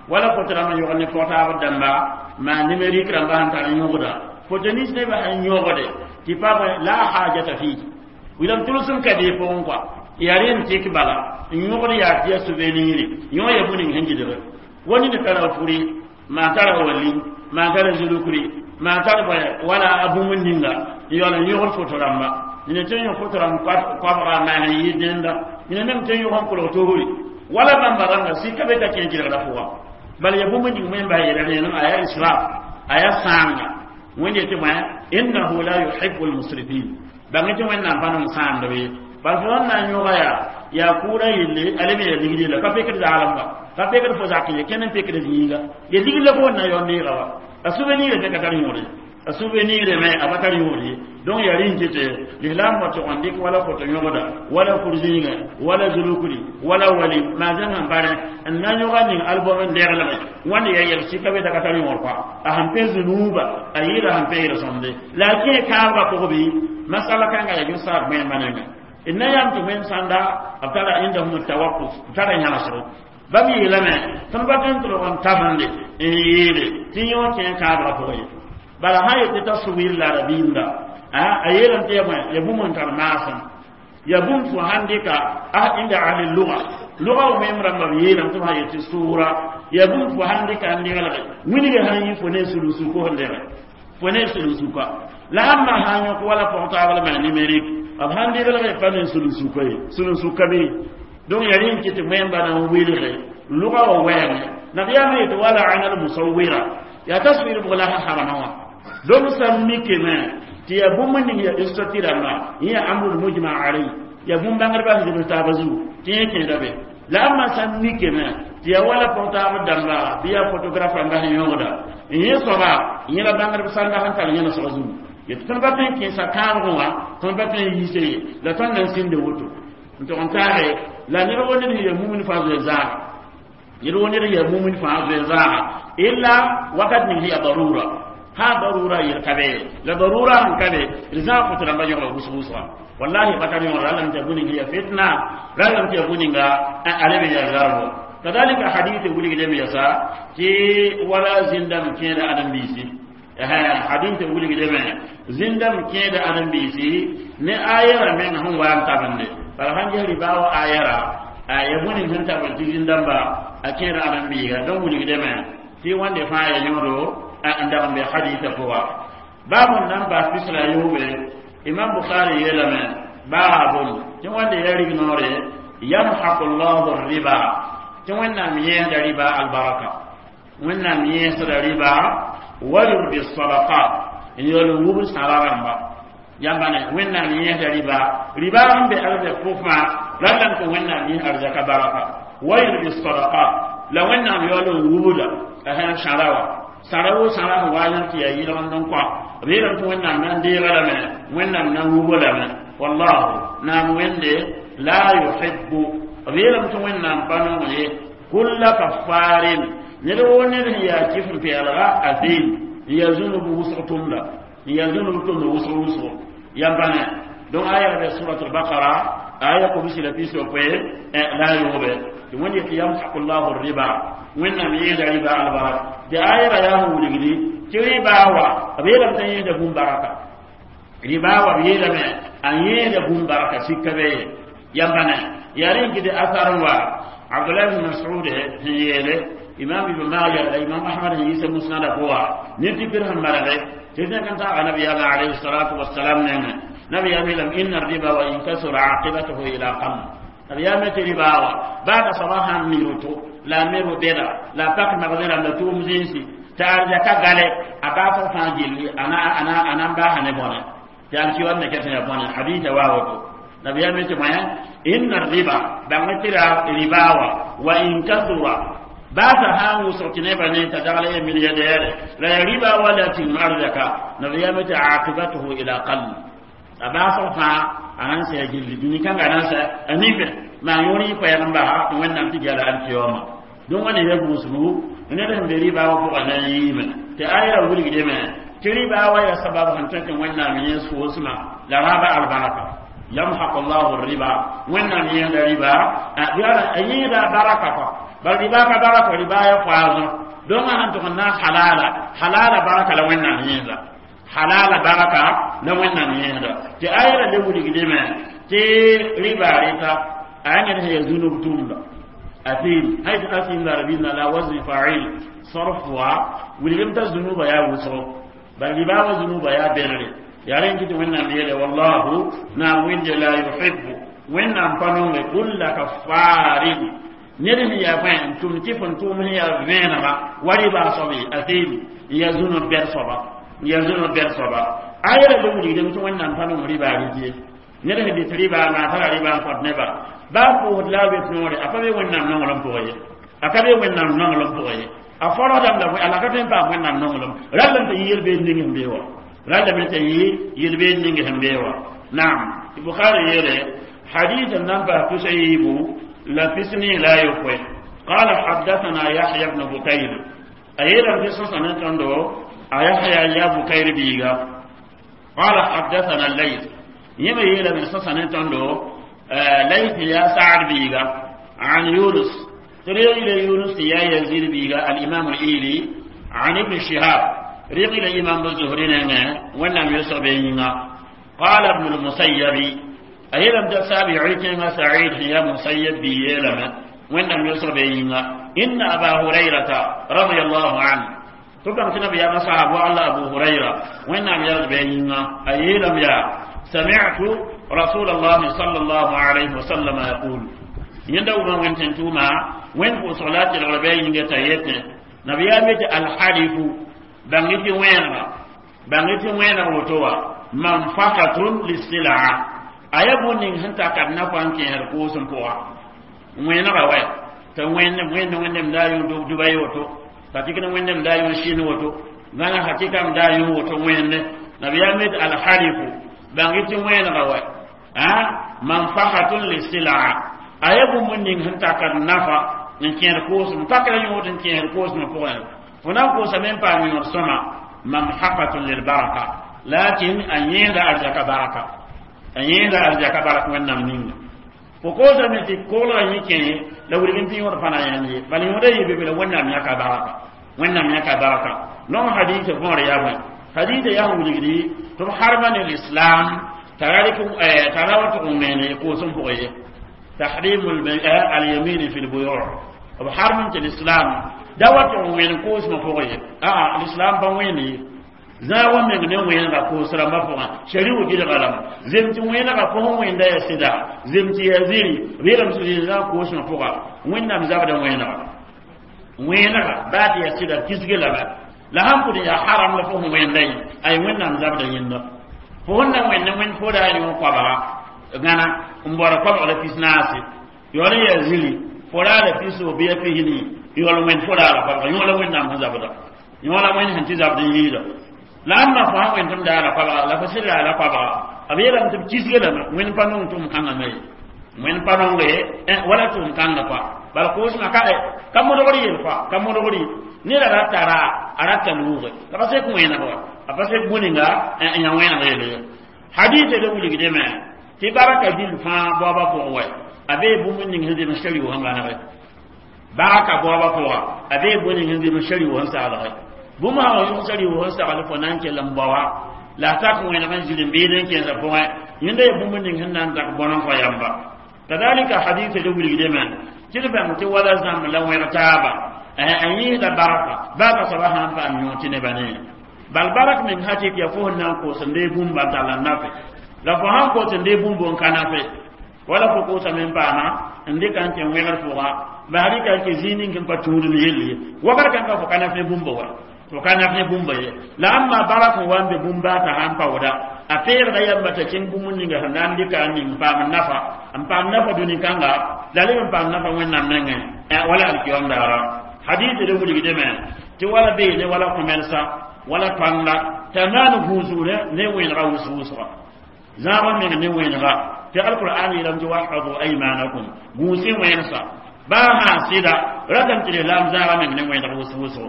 wala foto rãmba yõgd ne pɔgtaab dãmba maa numérique rãmba sẽn tar n yõgda foto nins nebã sẽn yõgde tɩ pa bõe la hajata fi wilame tʋlsem ka dee pʋgẽ kɔa yaa rẽ n tɩk bala n yõgd yaa tɩ yaa souvenir yõ ya bũmb ning sẽn gɩdge wa ned tara furi maa tara wali maa tara zulukri maa tar bõe wala a bũmb ninga n yaool n yõgd foto rãmba ned tɩ n yõ foto rãmb koabga maa sẽn yɩ dẽnda ned mem tɩ n yõg n kolg tosri wala bãmba rãnga sika be ka kẽ gɩlgrã pʋga bala ya bũmb ning wẽn bas yeela rẽenem a yaa israf a yaa sãanga wẽnd yetɩ bõe innahu la yuhibu lmusrifin bãng tɩ wẽnnaam pa nong sãamdb ye bal fo sẽn na n yõga yaa yaa kʋʋrã yelle ale me ya ligd yella ka pekd zaalem ba ka pekd fo zak ye kẽnd n pekd yĩnga ya ligd la fo wẽn na yaoon neega wa a souvenir tɩ ka tar yõore. A souvenir me a bakar yori donc ya rin kete l'islam wa to ndik wala foto nyogoda wala kurzinga wala zulukuri wala wali ma zan bare en na nyoga ni album nderla me wani ya yel sika be da katari ngor kwa a han pe zunuba a yira han pe ira sonde la ke ka ba ko bi masala kan ga ya sa me manenga inna yam to men sanda abtara indahum tawaqquf tara nyala so bam yeelame tõnd pa tõe n tʋlg n tabende n yeele tɩ yõ kẽ kaabga pʋgẽ ye bala sã yet tɩ taswir la rabiimda a yeelame tɩ ya bõe ya bũmb n tar maasem ya bũmb fo sãn dɩka a inda ahli lugha lugha w mem rãmba b yeelame tɩ b sã yet tɩ sʋʋra ya bũmb fo sãn dɩka n deglge wilg sãn yi fo ne sulg sʋko sẽn dẽge fo ne sulg sʋka la ãmba sã n yõk wala pʋg taab la maa numérique b sãn deglge pa ne sulg sʋka ye sulg sʋka be donc ya rẽn kɩ tɩ wẽmba na n wilge lugha wa wɛɛngẽ nabiyaamã yetɩ wala ana almusawira yaa taswir bʋg la sã habana wã donc sã n mikame tɩ yaa bũmb ning ya stati rãmba yẽ yaa amrul mujma alay yaa bũmb-bãngdbã sẽn zems taaba zugu tɩ yẽ kẽeda be la ãmba sã n mikame tɩ yaa wala pʋg taab dãmba bɩ yaa photographe rãmba sẽn yõgda n yẽ soaba yẽ la bãngdb sãnda sẽn tar yẽnesg zugu yetɩ tõnd pa tõe n kẽesa kãabgẽ wã tõnd pa tõe n yiise ye la tõnd na n sĩnde woto n tʋg n taage la ned wo ned ya mumin fãa zoe zaaga ned wo ned ya mumin fãa zoe zaaga illa wakat ning ya darura ha darura yel ka be la darura sẽn ka be d zãag fo tɩ rãmba yõgla wʋsg wʋsga wallahi bakar yõgla ra lame tɩ ya bũninga ya fitna ra lame tɩ ya bũninga ale me ya zarbo kadalika hadith wulgdame yasa tɩ wala zĩndame kẽeda ãdem-biisi hadith wulgdame zĩndame kẽeda ãdem-biisi ne ayɛra meng sẽn wa n tabende bala sãn ges riba wa ayɛra ya bũning sẽn tabend tɩ zĩn-dãmba a kẽeda ãdem-biiga donc wulgdame tɩ wãnde fãa ya yõodo n dag n be haditã pʋga baab n na n baas pis la a yoobe imam bukhari yeelame baabun tɩ wãnde ya rig noore yamhaqu llahu riba tɩ wẽnnaam yẽesda riba albaraka wẽnnaam yẽesda riba wa yurbi sadaqat n yaool n wubd sãra rãmba yãmba ne wẽnnaam yẽesda riba riba sẽn be arzɛk pʋgfã ralame tɩ wẽnnaam yẽs arzɛka baraka wa yurbi sadaqat la wẽnnaam yaool n wubda a sẽn sãra wa sãra wo sãra sẽn wa yãk tɩ yaa yɩlgend n kõ b yeelame tɩ wẽnnaam na n deega lame wẽnnaam na n wubo lame wallahu naam wẽnde la yuhibbu b yeelame tɩ wẽnnaam pa nong ye kulla kaffarin ned wo ned sẽn yaa kɩf n pɛɛlga athim n yaa zũnub wʋsg tʋmda n yaa zũnub tʋmd wʋsg wʋsgo yãmba ne donc aya be surat albaqara aya kobsi la pis yopoe la yoobe tɩ wẽnd yetɩ yamhaku llahu riba wẽnnaam yẽeda riba albarak tɩ ayra yaa sẽn wilgdi tɩ riba wa b yeelame t'a yẽeda bũmb baraka riba wa b yeelame a yẽeda bũmb baraka sika be ye yãmba ne yaa rẽ kɩ tɩ asar n wa abdullah ibn mas'ud sẽn yeele imam ibn majah la imam ahmad sẽn yiisa musnada pʋga ne tɩ pir sẽn marge tɩ zẽk n taaga nabiyaamã alayhi salatu wasalam nengẽ nabiyaam yeelame inna riba wa in kasura aqibatuhu ila qam nabiyaam tɩ riba wa baa ka soaba sãn mi roto la a me ro-bɛda la a pak magdẽ rãmb la tʋʋm zĩnsi tɩ arzɛka gale a baasg fãa gilli a na n baasa ne bõne tɩ alkiwam me ket ya bõne hadisa wa woto nabiyaam tɩ bõe inna riba bãng tɩ ra riba wa wa in kasura baasa sã n wʋsg tɩ nebã ne t'a dagl ya milliardaire la ya riba wa la tɩ arzɛka nabiyaam tɩ aqibatuhu ila qall a baasg fãa a na n sɛ gilli dũni kãnga na n sɛ a nife maa yõor yɩ koɛɛg n basa tɩ wẽnnaam tɩ gala alkiyoma donc wãne ya gũusgu ned sẽn be riba wã pʋgã na n yiime tɩ ayra wilgdame tɩ riba wa ya sabab sẽn tõe tɩ wẽnnaam yẽs foosmã la rãaba albaraka yamhaqu llahu riba wẽnnaam yẽsda riba a yẽeda baraka kɔ bal riba ka baraka riba ya poison donc a sãn tʋg n naas halala halala baraka la wẽnnaam yẽsda halala baraka la wẽnnaam yẽsda tɩ ayra le wilgdame tɩ riba rɩta a yãngd sẽn ya zũnub tʋʋmda athim haythu athim la rabina la wazn fa'il sarfwa wilgem ta zunuba ya wuso bal riba wa zunuba ya berre ya ren kiti wẽnnaam yeele wallahu naam wẽnde la yuhibbu wẽnnaam pa nonge kulla kaffarin ned sẽn yaa bõe n tʋm tɩ fõn tʋʋm sẽn yaa vẽenega wa rɩba soabe athim n yaa zũnub bɛd soaba n yaa zũnub bɛd soaba ayɛla le wilgdame tɩ wẽnnaam pa nong rɩba rɩdye ned sẽn dɩt rɩba maa tara rɩba n kõt neba baa pʋʋsd la a be noore a pa be wẽnnaam nonglem pʋgã ye a ka be wẽnnaam nonglem pʋgã ye A forosdame la a laka tõe n paam wẽnnaam nonglem rallame t'a yɩ yel-beed ning sẽn bee wa rallame t'a yɩ yel-beed ning sẽn bee wa naam tɩ bukhari yeele hadith n nan paas tusa yiibu la pisni la yopoe. قال حدثنا يحيى بن بكير أيضا في سنة تندو يحيى يا بكير بيغا قال حدثنا الليث يما يلا من سنة تندو ليث يا سعد بيغا عن يونس تريد إلى يونس يا يزيد بيغا الإمام الإيلي عن ابن شهاب ريق إلى إمام الزهري ولم يسر بيننا. قال ابن المسيب أيضا تسابع سعيد يا مسيب بيلما ولم يسر بيننا إن أبا هريرة رضي الله عنه تبقى تنبي يا مصعب وعلى أبو هريرة وإنم يرد بيننا أيلم يا سمعت رسول الله صلى الله عليه وسلم يقول يندو ما وين تنتوما وين في صلاة الغربين يتيت نبي يامت الحلف بانغتي وين بانغتي وين وتوا منفقة للسلعة أيبون هنتا كدنا فان كي هركوسم بوا وين رواي ta wẽnnem wẽnde wẽnnem daa yõ Dubai woto ka tɩk ne wẽnnem daa yõ Chine woto gãna hakɩkam daa yõ woto wẽnde nabiyaam yet alhalifu bãng tɩ wẽnega wɛ a manfahatun lisilaa a ya bũmb ning sẽn takd nafa n kẽed koosem pakra yõod n kẽed koosmã pʋgẽ fo na n koosame n paam yõod sõma mamhaqatun lilbaraka lakin a yẽeda arzaka baraka a yẽeda arzaka barak wẽnnaam ninga fo koosame tɩ koglgã yẽ kẽ la wilg n tɩ yõod fãna yãmb ye bala yõoda yɩ be la wẽnnaam yãka baraka wẽnnaam yãka baraka non hadisa võor yaa bõe hadisa yaa sẽn wilgdi tɩ b harma ne l'islam t'a ra wa tʋg n wẽene koosem pʋgẽ ye tahrim alyamin fi lbuyu b harm tɩ l'islam da wa tʋg n wẽen koosmã pʋgẽ ye aa l'islam pa wẽend ye zãag wa meng ne wẽnega koos rãmbã pʋgã shariu gɩdga lame zem tɩ wẽnega fo sẽn wẽnda yaa sɩda zem tɩ yaa ziri b yeelame tɩ zãag koosmã pʋga wẽnnaam zabda wẽnega wẽnega baa tɩ yaa sɩda kisge lame la sãn pʋd n yaa haram la fo sẽn wẽnda yẽ ay wẽnnaam zabda yẽnda fo sẽn na wẽnd wẽnd fo daa yõ koabga gãna n bɔra koabg la pis naase yaool n yaa ziri fo raa la pis o bɩ ya pisni yaool wẽnd fo raa la koabga yõ la wẽnnaam sẽn zabda yõ la wẽnd sẽn tɩ zabd n yɩɩda la ãmba fo sã wẽnd tɩ m daa la koabga la fo sɩd raa la koabga b yeelame tɩ b kisge lame wẽnd pa nong tʋʋm kãngã me wẽnd pa nonge wala tʋʋm kãngã koa bala koosmã ka ka modgr yel koa ka modgr ye neda ra tara a rata luuge la pa sek wẽneg wa a pa sek bũninga n yã wẽneg yel ye hadisa le wilgdame tɩ baraka dil fãa baoobã pʋgẽ wɛ a bee bũmb ning sẽn zems shariu sẽn gãnege baraka baoobã pʋga a bee bũmb ning sẽn zems shariu sẽn saglge bũmb sã wa yʋg shariu sẽn sagl fo na n kell n baoa la a tak wẽneg n zil n bɩɩd n kẽesã pʋgẽ yẽnda yaa bũmb ning sẽn na n tak bõn n kõ yamba kadalika hadisa le wilgdame tɩ d bãng tɩ wala zãmb la wẽg taaba a yẽesda baraka baaka soaba sã n paam yõ tɩ nebã ne bal barak meng hakɩk yaa fo sẽn na n koos n dee bũmba n tall n nafe la fo sãn koos n dee bũmb n ka nafe wala fo koosame n paama n dɩka n kẽ wẽgr pʋga bas rɩka n kẽ zĩig ning n pa tũudem yell ye wakat kãngã fo ka naf ne bũmba wa fo ka naf ne bũmba ye la ãmba barak n wa n be bũmba t'a sãn paooda a peegda yamba t'a kẽng bũmb ninga sẽn na n dɩka n ning n paam nafa n paam nafa dũni kãnga la leb n paam nafa wẽnnaam nengẽ wala alkiyom daara hadith de wilgdame tɩ wala beene wala kõmɛlsa wala pãnga t'a maan gũusgre ne wẽnega wʋsg-wʋsga zãagã meng ne wẽnega tɩ alqur'an yeelame tɩ wahfadu aymanakum gũus-y wẽnsa baa sã sɩda ratame tɩ lislaam zãagã meng ne wẽneg wʋsg-wʋsgo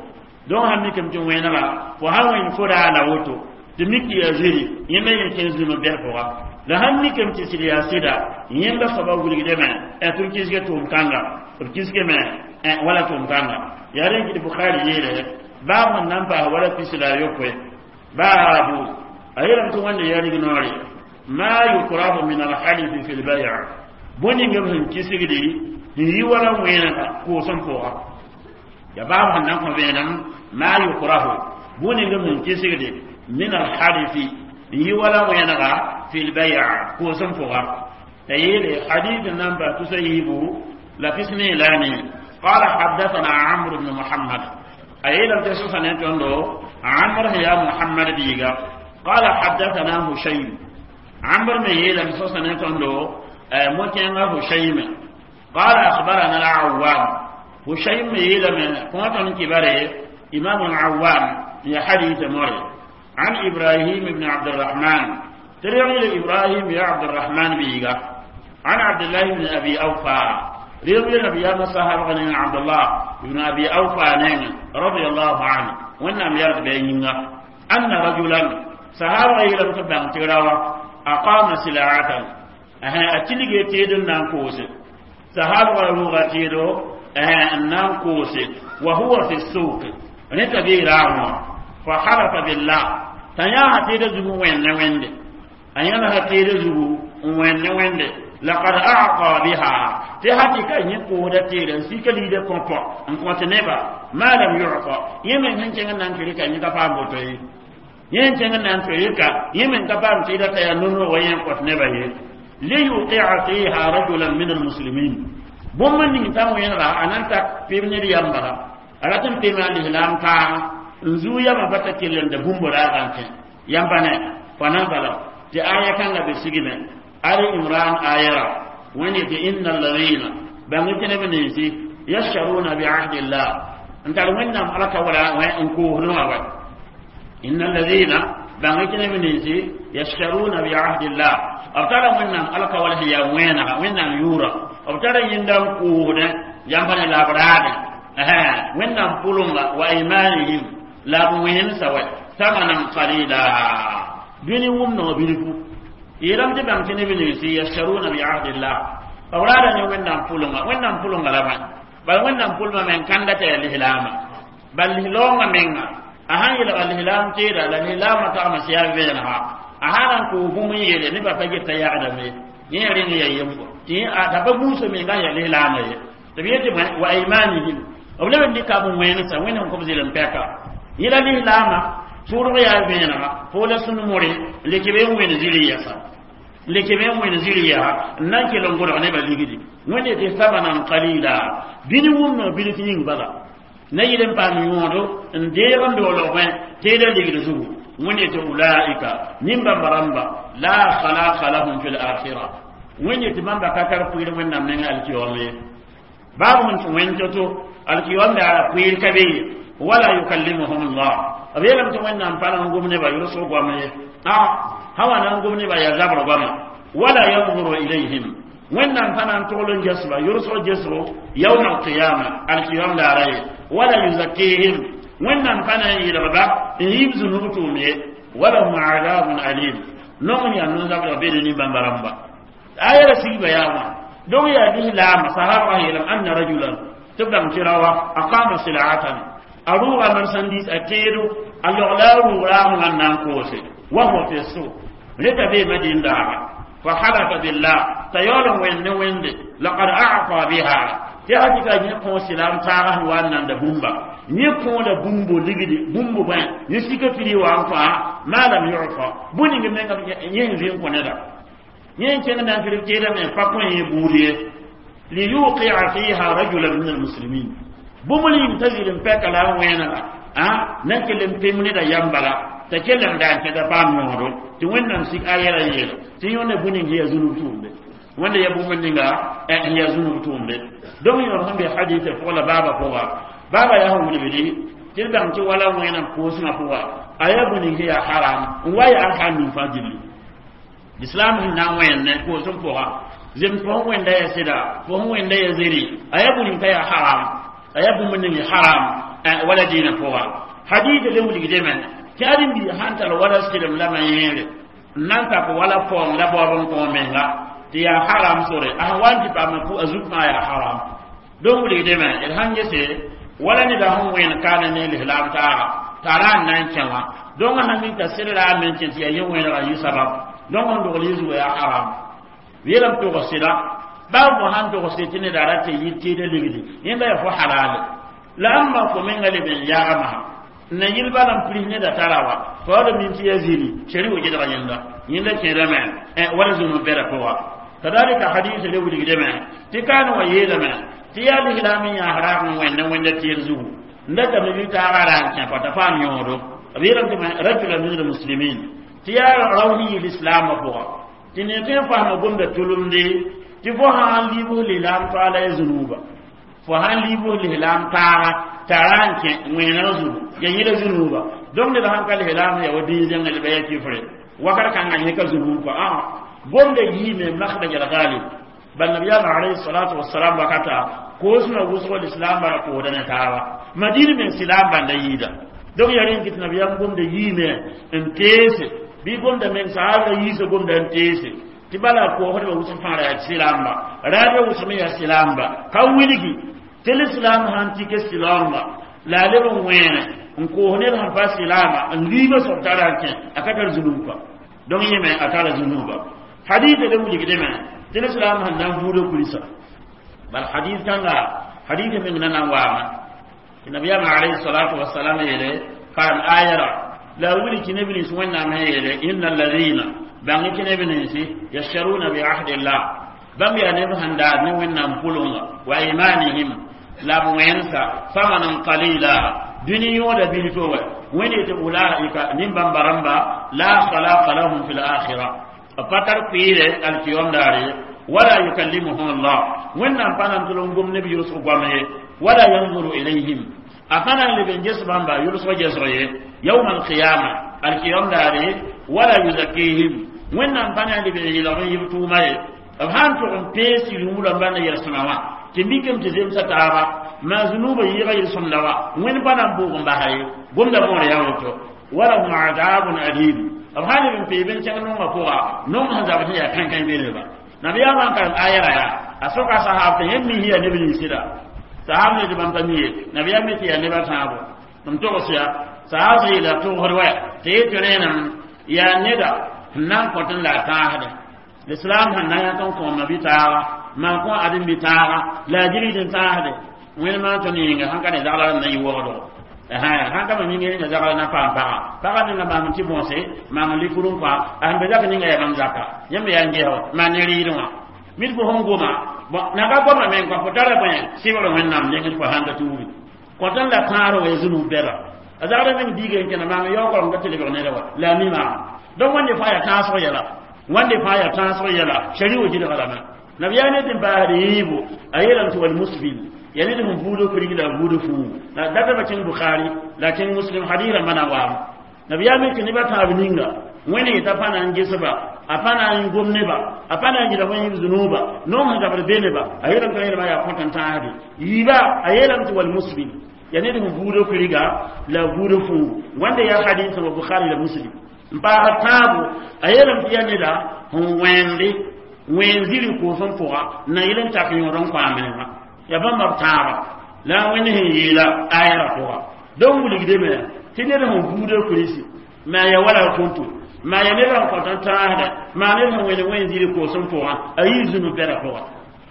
donc sãn mikame tɩ wẽnega fo sãn wẽnd fo raa la woto tɩ mik tɩ yaa ziri yẽnda yẽ kẽn zũm bɛs pʋga la sãn mikame tɩ sɩd yaa sɩda yẽnda soaba wilgdame tɩ b kisge tʋʋm kãnga b kisgame wala tʋʋm kãnga yaa rẽ kɩ tɩ bukhari yeele baab sẽn na n paas wala pis la a yopoe baabu a yeelame tɩ wẽnda yaa rignoore ma yukrahu min alhalifi fi lbay bõe-ning b sẽn kisgdi n yi wala wẽnega koosem pʋga ya baab sẽn na n kõ vẽenem ma yukrahu bõe-ning b sẽn kisgdi min alhalifi n yi wala wẽnega fi lbay koosem pʋga t'a yeele hadith n na n paas tusa yiibu la pisni la ne قال حدثنا عمرو بن محمد أي لم تسوس نتندو عمرو يا محمد بيغا قال حدثنا هشيم عمرو من يلم سوس نتندو مكين هشيم قال أخبرنا العوام هشيم يلم قوة كباره إمام العوام يا حديث مري عن إبراهيم بن عبد الرحمن تريغ إبراهيم يا عبد الرحمن بيغا عن عبد الله بن أبي أوفى ريغ نبي يا صحابة عبد الله بن أبي أوفى رضي الله عنه وإنهم يرد بيننا أن رجلا صحابة يلم تبان تراوا أقام سلعة أها أتلقي تيدن نانكوس صحابة روغا تيدو أها نانكوس وهو في السوق نتبي راهو فحلف بالله تنيا تيد زغو وين وين أيانا تيد زغو وين وين لقد أعطى بها تهاتي كان يقود تيد سيكلي دي كومبو ان كنت نبا ما لم يعطى يمن هنچن نان كريكا نيكا فامبوتوي yen tẽng n na n toeeka yẽ me ka paam tɩ t'a yaa nonoog wa yẽ kõt nebã ye liyuqia fiha rajulan min almuslimin bũmb ning t'a wẽnega a na n tak pɩb ned yambala a rat n pema lislaam taaga n zuu yama pa t'a kell n da bũmb raagã n kẽ yãmba ne fa nazala tɩ aya kãngã be sigme ali imran ayara wẽnd yetɩ inna alladina bãng tɩ neb ninsi yasharuna biahdillah n tar wẽnnaam alaka wala n koosdõwã wa إن الذين بانكنا من ننسي يشترون بعهد الله أبترى من ألقى ولا هي وين وين يورا أبترى يندم كودا ينبني الأبراد أها وين بولون وإيمانهم لا وين سوا ثمنا قليلا بني ومن وبنكو يرم تبانكنا من ننسي يشترون بعهد الله أولاد وين بولون وين بولون لبن بل وين بولون من كندة الإسلام بل لون منga a sãn yelga lislaam teeda la lislaamã tagma sɩyaa vẽenega a sã na n koos bũmb n yeele nebã pa get t'a yagdame yẽ rẽng ya yembo tɩ t'a pa buusã menga n ya lislaamã ye tɩ b yetɩ wa aymanihim b leb n dɩka b wẽnesã wẽnd sẽn kõb zɩlem pɛka yẽ la lislaamã tʋʋdg yaa vẽenega fo la sũn-more n le kɩ be n wẽnd ziri yɛsa n le kɩ be n wẽnd ziri yaa n na n kell n gʋdg nebã ligdi wẽnd yetɩ samanan qalila bĩni wʋmno bilf yĩng bala na yɩl n paam yõodo n deeg n doolg bẽ teeda ligd zugu wẽnd yetɩ ulaika nin-bãmba rãmba la khalaqa lahum fi lakhira wẽnd yetɩ bãmba ka tar pʋɩɩr wẽnnaam nengã alkiyom ye baab sẽn tũ wẽnd to-to alkiyom daara pʋɩɩr ka be ye wala yukallimuhum llah b yeelame tɩ wẽnnaam pa na n gom nebã yʋlsg goam ye a sã wa na n gom nebã yaa zabr goama wala yanzuru ilayhim wẽnnaam pa na n togl n gesba yʋlsg gesgo yawma alqiyama alkiyom daara ye wala yuzakkihim wẽnnaam pa na n yɩlgba n yiib zũnub tʋʋm ye walahum adabun alim nong yaa no-zabdg beede nin-bãmba rãmba aya ra sigba yaa wã donc yaa lislaama sahaba yeelame anna rajulan tɩ bãng tɩ rawa aqama silatan a rʋʋga marsandis a teedo a logla a rʋʋg raamgã n na n koose wa huwa fi suk reta bee madin daaga fa halafa billah t'a yaool n wẽnd ne wẽnde laqad a'ta biha tɩ hakɩka yẽ kõ silaam taaga sẽn wa n nanda bũmba yẽ kõoda bũmbo ligdi bũmbo bõe yẽ sika pili wa n kõa ma lam yufa bũ ning menga yẽ sẽn vɩ n kõ neda yẽ n kẽng na n tɩrg teedame pa kõ yẽ buud ye liyuqia fiha rajulan min almuslimin bũmb ning t'a zɩl n pɛka la n wẽnega a na n kell n pem neda yam bala t'a kell n da n kẽta paam yõodo tɩ wẽnnaam sik a yɛla n yeela tɩ yõnda bũ ning ya zũnub tʋʋmde wẽnda ya bũmb ninga n ya zũnub tʋʋmde donc yõor sẽn be hadisa pʋg la baaba pʋga baaba yaa sẽn wilgdi tɩ d bãng tɩ wala wẽnam koosmã pʋga a yaa bũ ning yaa haram n wa yaa n ning fãa gilli islam sẽn na n wẽnd koosem pʋga zems fo sẽn wẽnda ya sɩda fo sẽn wẽnda ya zeri a yaa bũ ning ka yaa haram a yaa bũmb ning haram wala dĩinã pʋga hadisa le wilgdame tɩ ãdem-biig sãn tar wala sɩlem lama yẽere n na n tak wala paoong la baoob n kõ menga tɩ yaa haram sore a sẽn wa n tɩ paam a zug fãa yaa haram donc wilgdame d sãn gese wala neda sẽn wẽen kaana ne lislaam taaga t'a ra n na n kẽ wã donc sãn mik t'a sɩdra a men kẽ tɩ yaa yẽ wẽnega yɩ sabab donc n dogl yɩ zuga yaa haram yeelame tog sɩda baa fo sãn tog sɩd tɩ neda ra tɩ yɩ teeda ligdi yẽnda yaa fo halale la ãmba fo menga leb n yaagma na yɩl bala n pris neda tara wa fa wala min tɩ ya ziri shari wo gedga yẽnda yẽnda kẽedame wala zũnub bɛda pʋga kadalika hadis le wilgdame tɩ kaan wa yeelame tɩ yaa lislaam n yãas raag n wẽnd wẽnda tɩɩr zugu n datame bɩ taaga ra n kẽ pa t'a paam yõodo b yeelame tɩ rajula min almuslimin tɩ yaa rao sẽn yɩ lislaamã pʋga tɩ ne tõe n fasma gomda tʋlʋmde tɩ fo sã n liibs lislaam toaala ya zũnuba Fo sãn liibs lislaam taaga tara n kẽ wẽeneg zugu ya yẽla zunuuba. Donc ned sãn ka lislaam ya wa dĩin zẽngẽ ba ya kifre wakat kãngã yẽ ka zunuub kɔa ã gomda yiime makhraj al-ghalib. Bal nabiyaam alayhi salatu wassalam wakata koosmã wʋsgo lislaam bara koosda ne taaba madina meng silaam bãnda yɩɩda. Donc ya rẽn kɩt nabiyaam gomda yiime n teese bɩ gomda meng sahabra yiisa gomda n teese tɩ bala koosdbã wʋsg fãa ra yaa silaamba raadbã wʋsg me yaa silaamba ka wilgi tɩ lislaam sãn tɩ silaamba la a leb n wẽene n koos ned sẽn pa silaama n liiba soab tara n kẽ a ka tar zunuub ka. Donc yẽme a tara zunuuba. Hadith le wilgdame tɩ lislaam sẽn na n buuda kulsa bal hadith kãnga hadith meng na nan waama tɩ nabiyaamã alayhi salatu wasalam yeele karem ayara la wilg tɩ neb nins wẽnnaam sẽn yeele inna alladina bãng tɩ neb ninsi yashtaruna bi ahdillah bãmb yaa neb sẽn daad ne wẽnnaam pʋlengã wa imanihim la b wẽnsa thamanan qalila dũni yõoda bilfo wa wẽnd tɩ ulaika nin-bãmba rãmba la khalaqa lahum fi lakhira b pa tar kɩɩre alkiyom daare wala yukallimuhum allah wẽnnaam pa na n tʋl n gom neb yʋlsg goam ye wala yanzuru ilayhim a pa na n leb n ges bãmba yʋlsg gesg ye yawma alqiyama alkiyom daare wala yuzakihim wẽnnaam pa na n leb n yɩlg n yib tʋʋma ye b sãn tʋg n pees yũum rãmba na yɛlsẽma wã tɩ mikame tɩ zemsa taaba maa zunuubã yɩɩga yel-sõmda wa wẽnd pa na n bʋʋg n basa ye gomda võor yaa woto walahum adabun alim b sãn leb n peeb n kẽng nongã pʋga nong sẽn zabd sẽn yaa kãn-kãe belba nabiyaamã n karem ayɛra yaa a soka sahab tɩ yẽmb mis yaa neb ninsɩda sahab ne tɩ bãmb pa mi ye nabiyaam me tɩ yaa nebã tãabo m togs yaa sahab sẽn yeela togsd wa tɩ yetɩ rẽenem yaa neda sẽn na n kõt n la a tãasde l'islam sẽn na yãk n kõoma bɩ taaga maan kõ adem bɩ taaga la a gilgd n tãasde wẽnd maan tõnd yĩnga sãn ka ne zagla na yɩ wogdo sãn ka ma minga yĩnga zagla na paam paga paga ninga maam tɩ bõose maam n likur n kɔa a sẽn be zak ninga yaa bãmb zaka yãmb yaa n gesgo maan ne rɩɩdẽ wã mid fo sẽn goma na ka goma meng kõ fo tara bõe sɩbr wẽnnaam nengd fo sãn ka tuubi kõt n la tãasr wa zũnub bɛda a zagla meng diiga n kẽna maam yaoog n ka tɩ lebg neda wa la a mi maam donc wẽnde fãa yaa tãasg yɛla wãnde fãa yaa tãasg yɛla shari'o gilga lame nabiyaa ne tɩ n paasd yɩɩbo a yeelame tɩ walmusbil ya ned sẽn buudo kurig la buudo fuu la databa kẽng bukhari la kẽng muslim hadis rãmbã na waam nabiyaa me tɩ nebã tãab ninga wẽnd yeta pa na n gesba a pa na n gom neba a pa na n gɩda wẽn yib zunuuba noog sẽn zabd be neba a yeelame tɩ yelma yaa kõt n tãasde yiiba a yeelame tɩ walmusbil ya ned sẽn buudo kuriga la buudo fuu wãnde yaa hadis wa bukhari la muslim n paasd tãabo a yeelame tɩ yaa neda sẽn wẽende wẽen ziri koosẽ pʋga na yɩl n tak yõod n kõ a menga ya bãmba b tãaba la a wẽnd sẽn yeela ayɛra pʋga donc wilgdame tɩ ned sẽn buuda kurisi maa ya wala kõnto maa ya ned sẽn kõt n tãasda maa ned sẽn wẽnd wẽn ziri koosẽ pʋgã a yɩ zũnu bɛda pʋga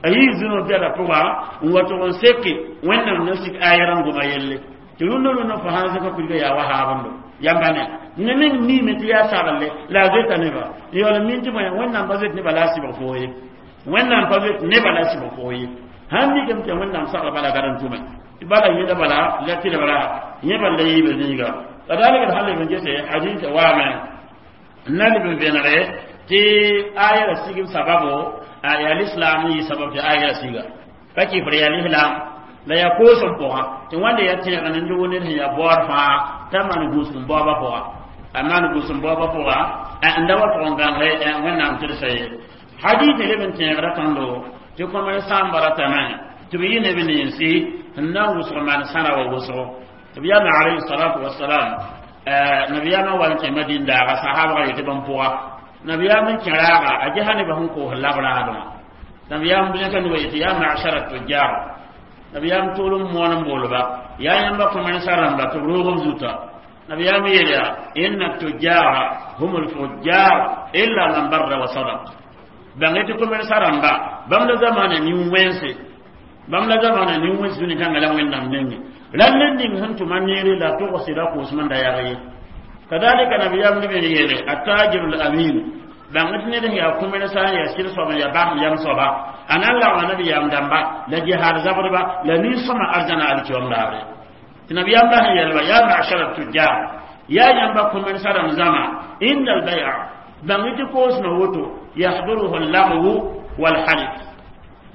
a yɩ zũnu bɛda pʋga n wa tʋg n seke wẽnnaam na sik ayɛra n goma yelle tɩ rũndã rũndã fo sãn zẽka kuriga yaa wa haabendo yamba ne ne meng miime tɩ yaa saglle la a zoeta neba n yaool n min tɩ bõe wẽnnaam pa zoet neba la a sɩbg foo ye wẽnnaam pa zoet neba la a sɩbg foo ye sãn mikame tɩ wẽnnaam sagl bala gad n tʋme tɩ bala yẽda bala la tɩ bala yẽ bal la yiibd yĩnga kadalika d sãn leb n gese hadis waame n na leb n vẽnege tɩ aya ra sigb sababo yaa lislaam n yɩ sabab tɩ aya ra siga ka kɩfr yaa lislaam la yaa koosem pʋgã tɩ wãnde yaa tẽeg ne loog ned sẽn yaa baood fãa t'a maan gũus n baoobã pʋga a maan gũus n baoobã pʋga n da wa tʋg n gãnge wẽnnaam tɩdsa ye hadis leb n tẽegra tõndo tɩ kõmẽ sãamba ratame tɩ b yɩ neb ninsi sẽn na n wʋsg maan sãra wa wʋsgo tɩ b yaame alayhi salatu wasalam nabiyaamã wa n kẽ madin daaga sahabga yetɩ bãmb pʋga nabiyaam n kẽ raaga a gesa nebã sẽn koos lab-raadẽ nabiyaam zẽka noba yetɩ yaa mashara tujjar nabiyaam tʋʋlem moon n boolba yaa yãmba kõmẽnsã rãmba tɩ b roog b zuta nabiyaam yeel yaa inna tujjara hum lfujjar illa man barra wa sadaq bãng tɩ kõmẽnsã rãmba bãmb la zamaana nin-wẽnse bãmb la zamaana nin-wẽns dũni kãngã la wẽnnaam nenge rãnd n ning sẽn tʋma neere la togsɩda koosem n da yag ye kadalika nabiyaam leb n yeele attajiru lamin bãng tɩ ned sẽn yaa kõmẽnsã n yaa sɩd soab n yaa basem yam soaba a na n lagma nabiyaam dãmba la jihaad zabdba la nin-sõma arzãna alkiom daare tɩ nabiyaam bas n yɛlba yaa mashara tujjar yaa yãmba kõmẽnsã rãmb zãma inna albay'a bãng tɩ koosmã woto yahduruhu allagwu walhalif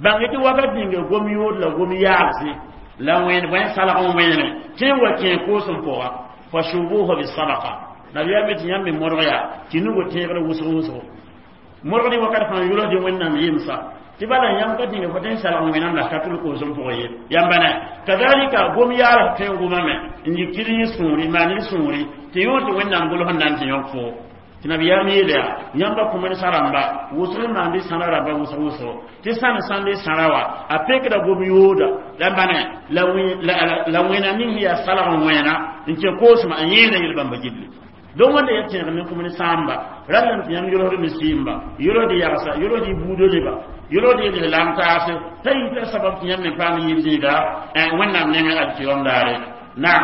Bãng tɩ wakat ninga gom yood la gom yaalse la wẽen bõe salg n wẽene tẽ n wa kẽ koosem pʋga fa shubuha bisadaqa. Nabiyaam tɩ yãmb me modg yaa tɩ nugo tẽegr wʋsg wʋsgo modgdi wakat fãa yʋlsdɩ Wẽnnaam yemsa tɩ bala yãmb ka tĩnga fo tõe n salg n wẽnnaam la ka tʋl koosem pʋgã ye. Yãmba ne kazalika gom yaals tõe n gomame n yik tɩ d yẽ sũuri maan d sũuri tɩ yõod tɩ Wẽnnaam gʋls n na n tɩ yõk foo. Tɩ nabiyaam yeele yaa yãmba kũmd sã-rãmba wʋsg n maand sãra rãmba wʋsg wʋsgo tɩ sãn sãnd sãra wa a pekda gom yooda yãmba ne la wẽna ning sẽn yaa salg n wẽna n kẽ koosmã n yẽeda yel-bãmba gilli. Don wẽnda ya tẽeg ne kũmd sãamba rallame tɩ yãmb yolsd misiimba yolsd yagsa yolsd y buudo leba yolsd y lam taase t'a yita sabab tɩ yãmb me paam yiib zĩiga Wẽnnaam nengẽ alkiyom daare. Naam.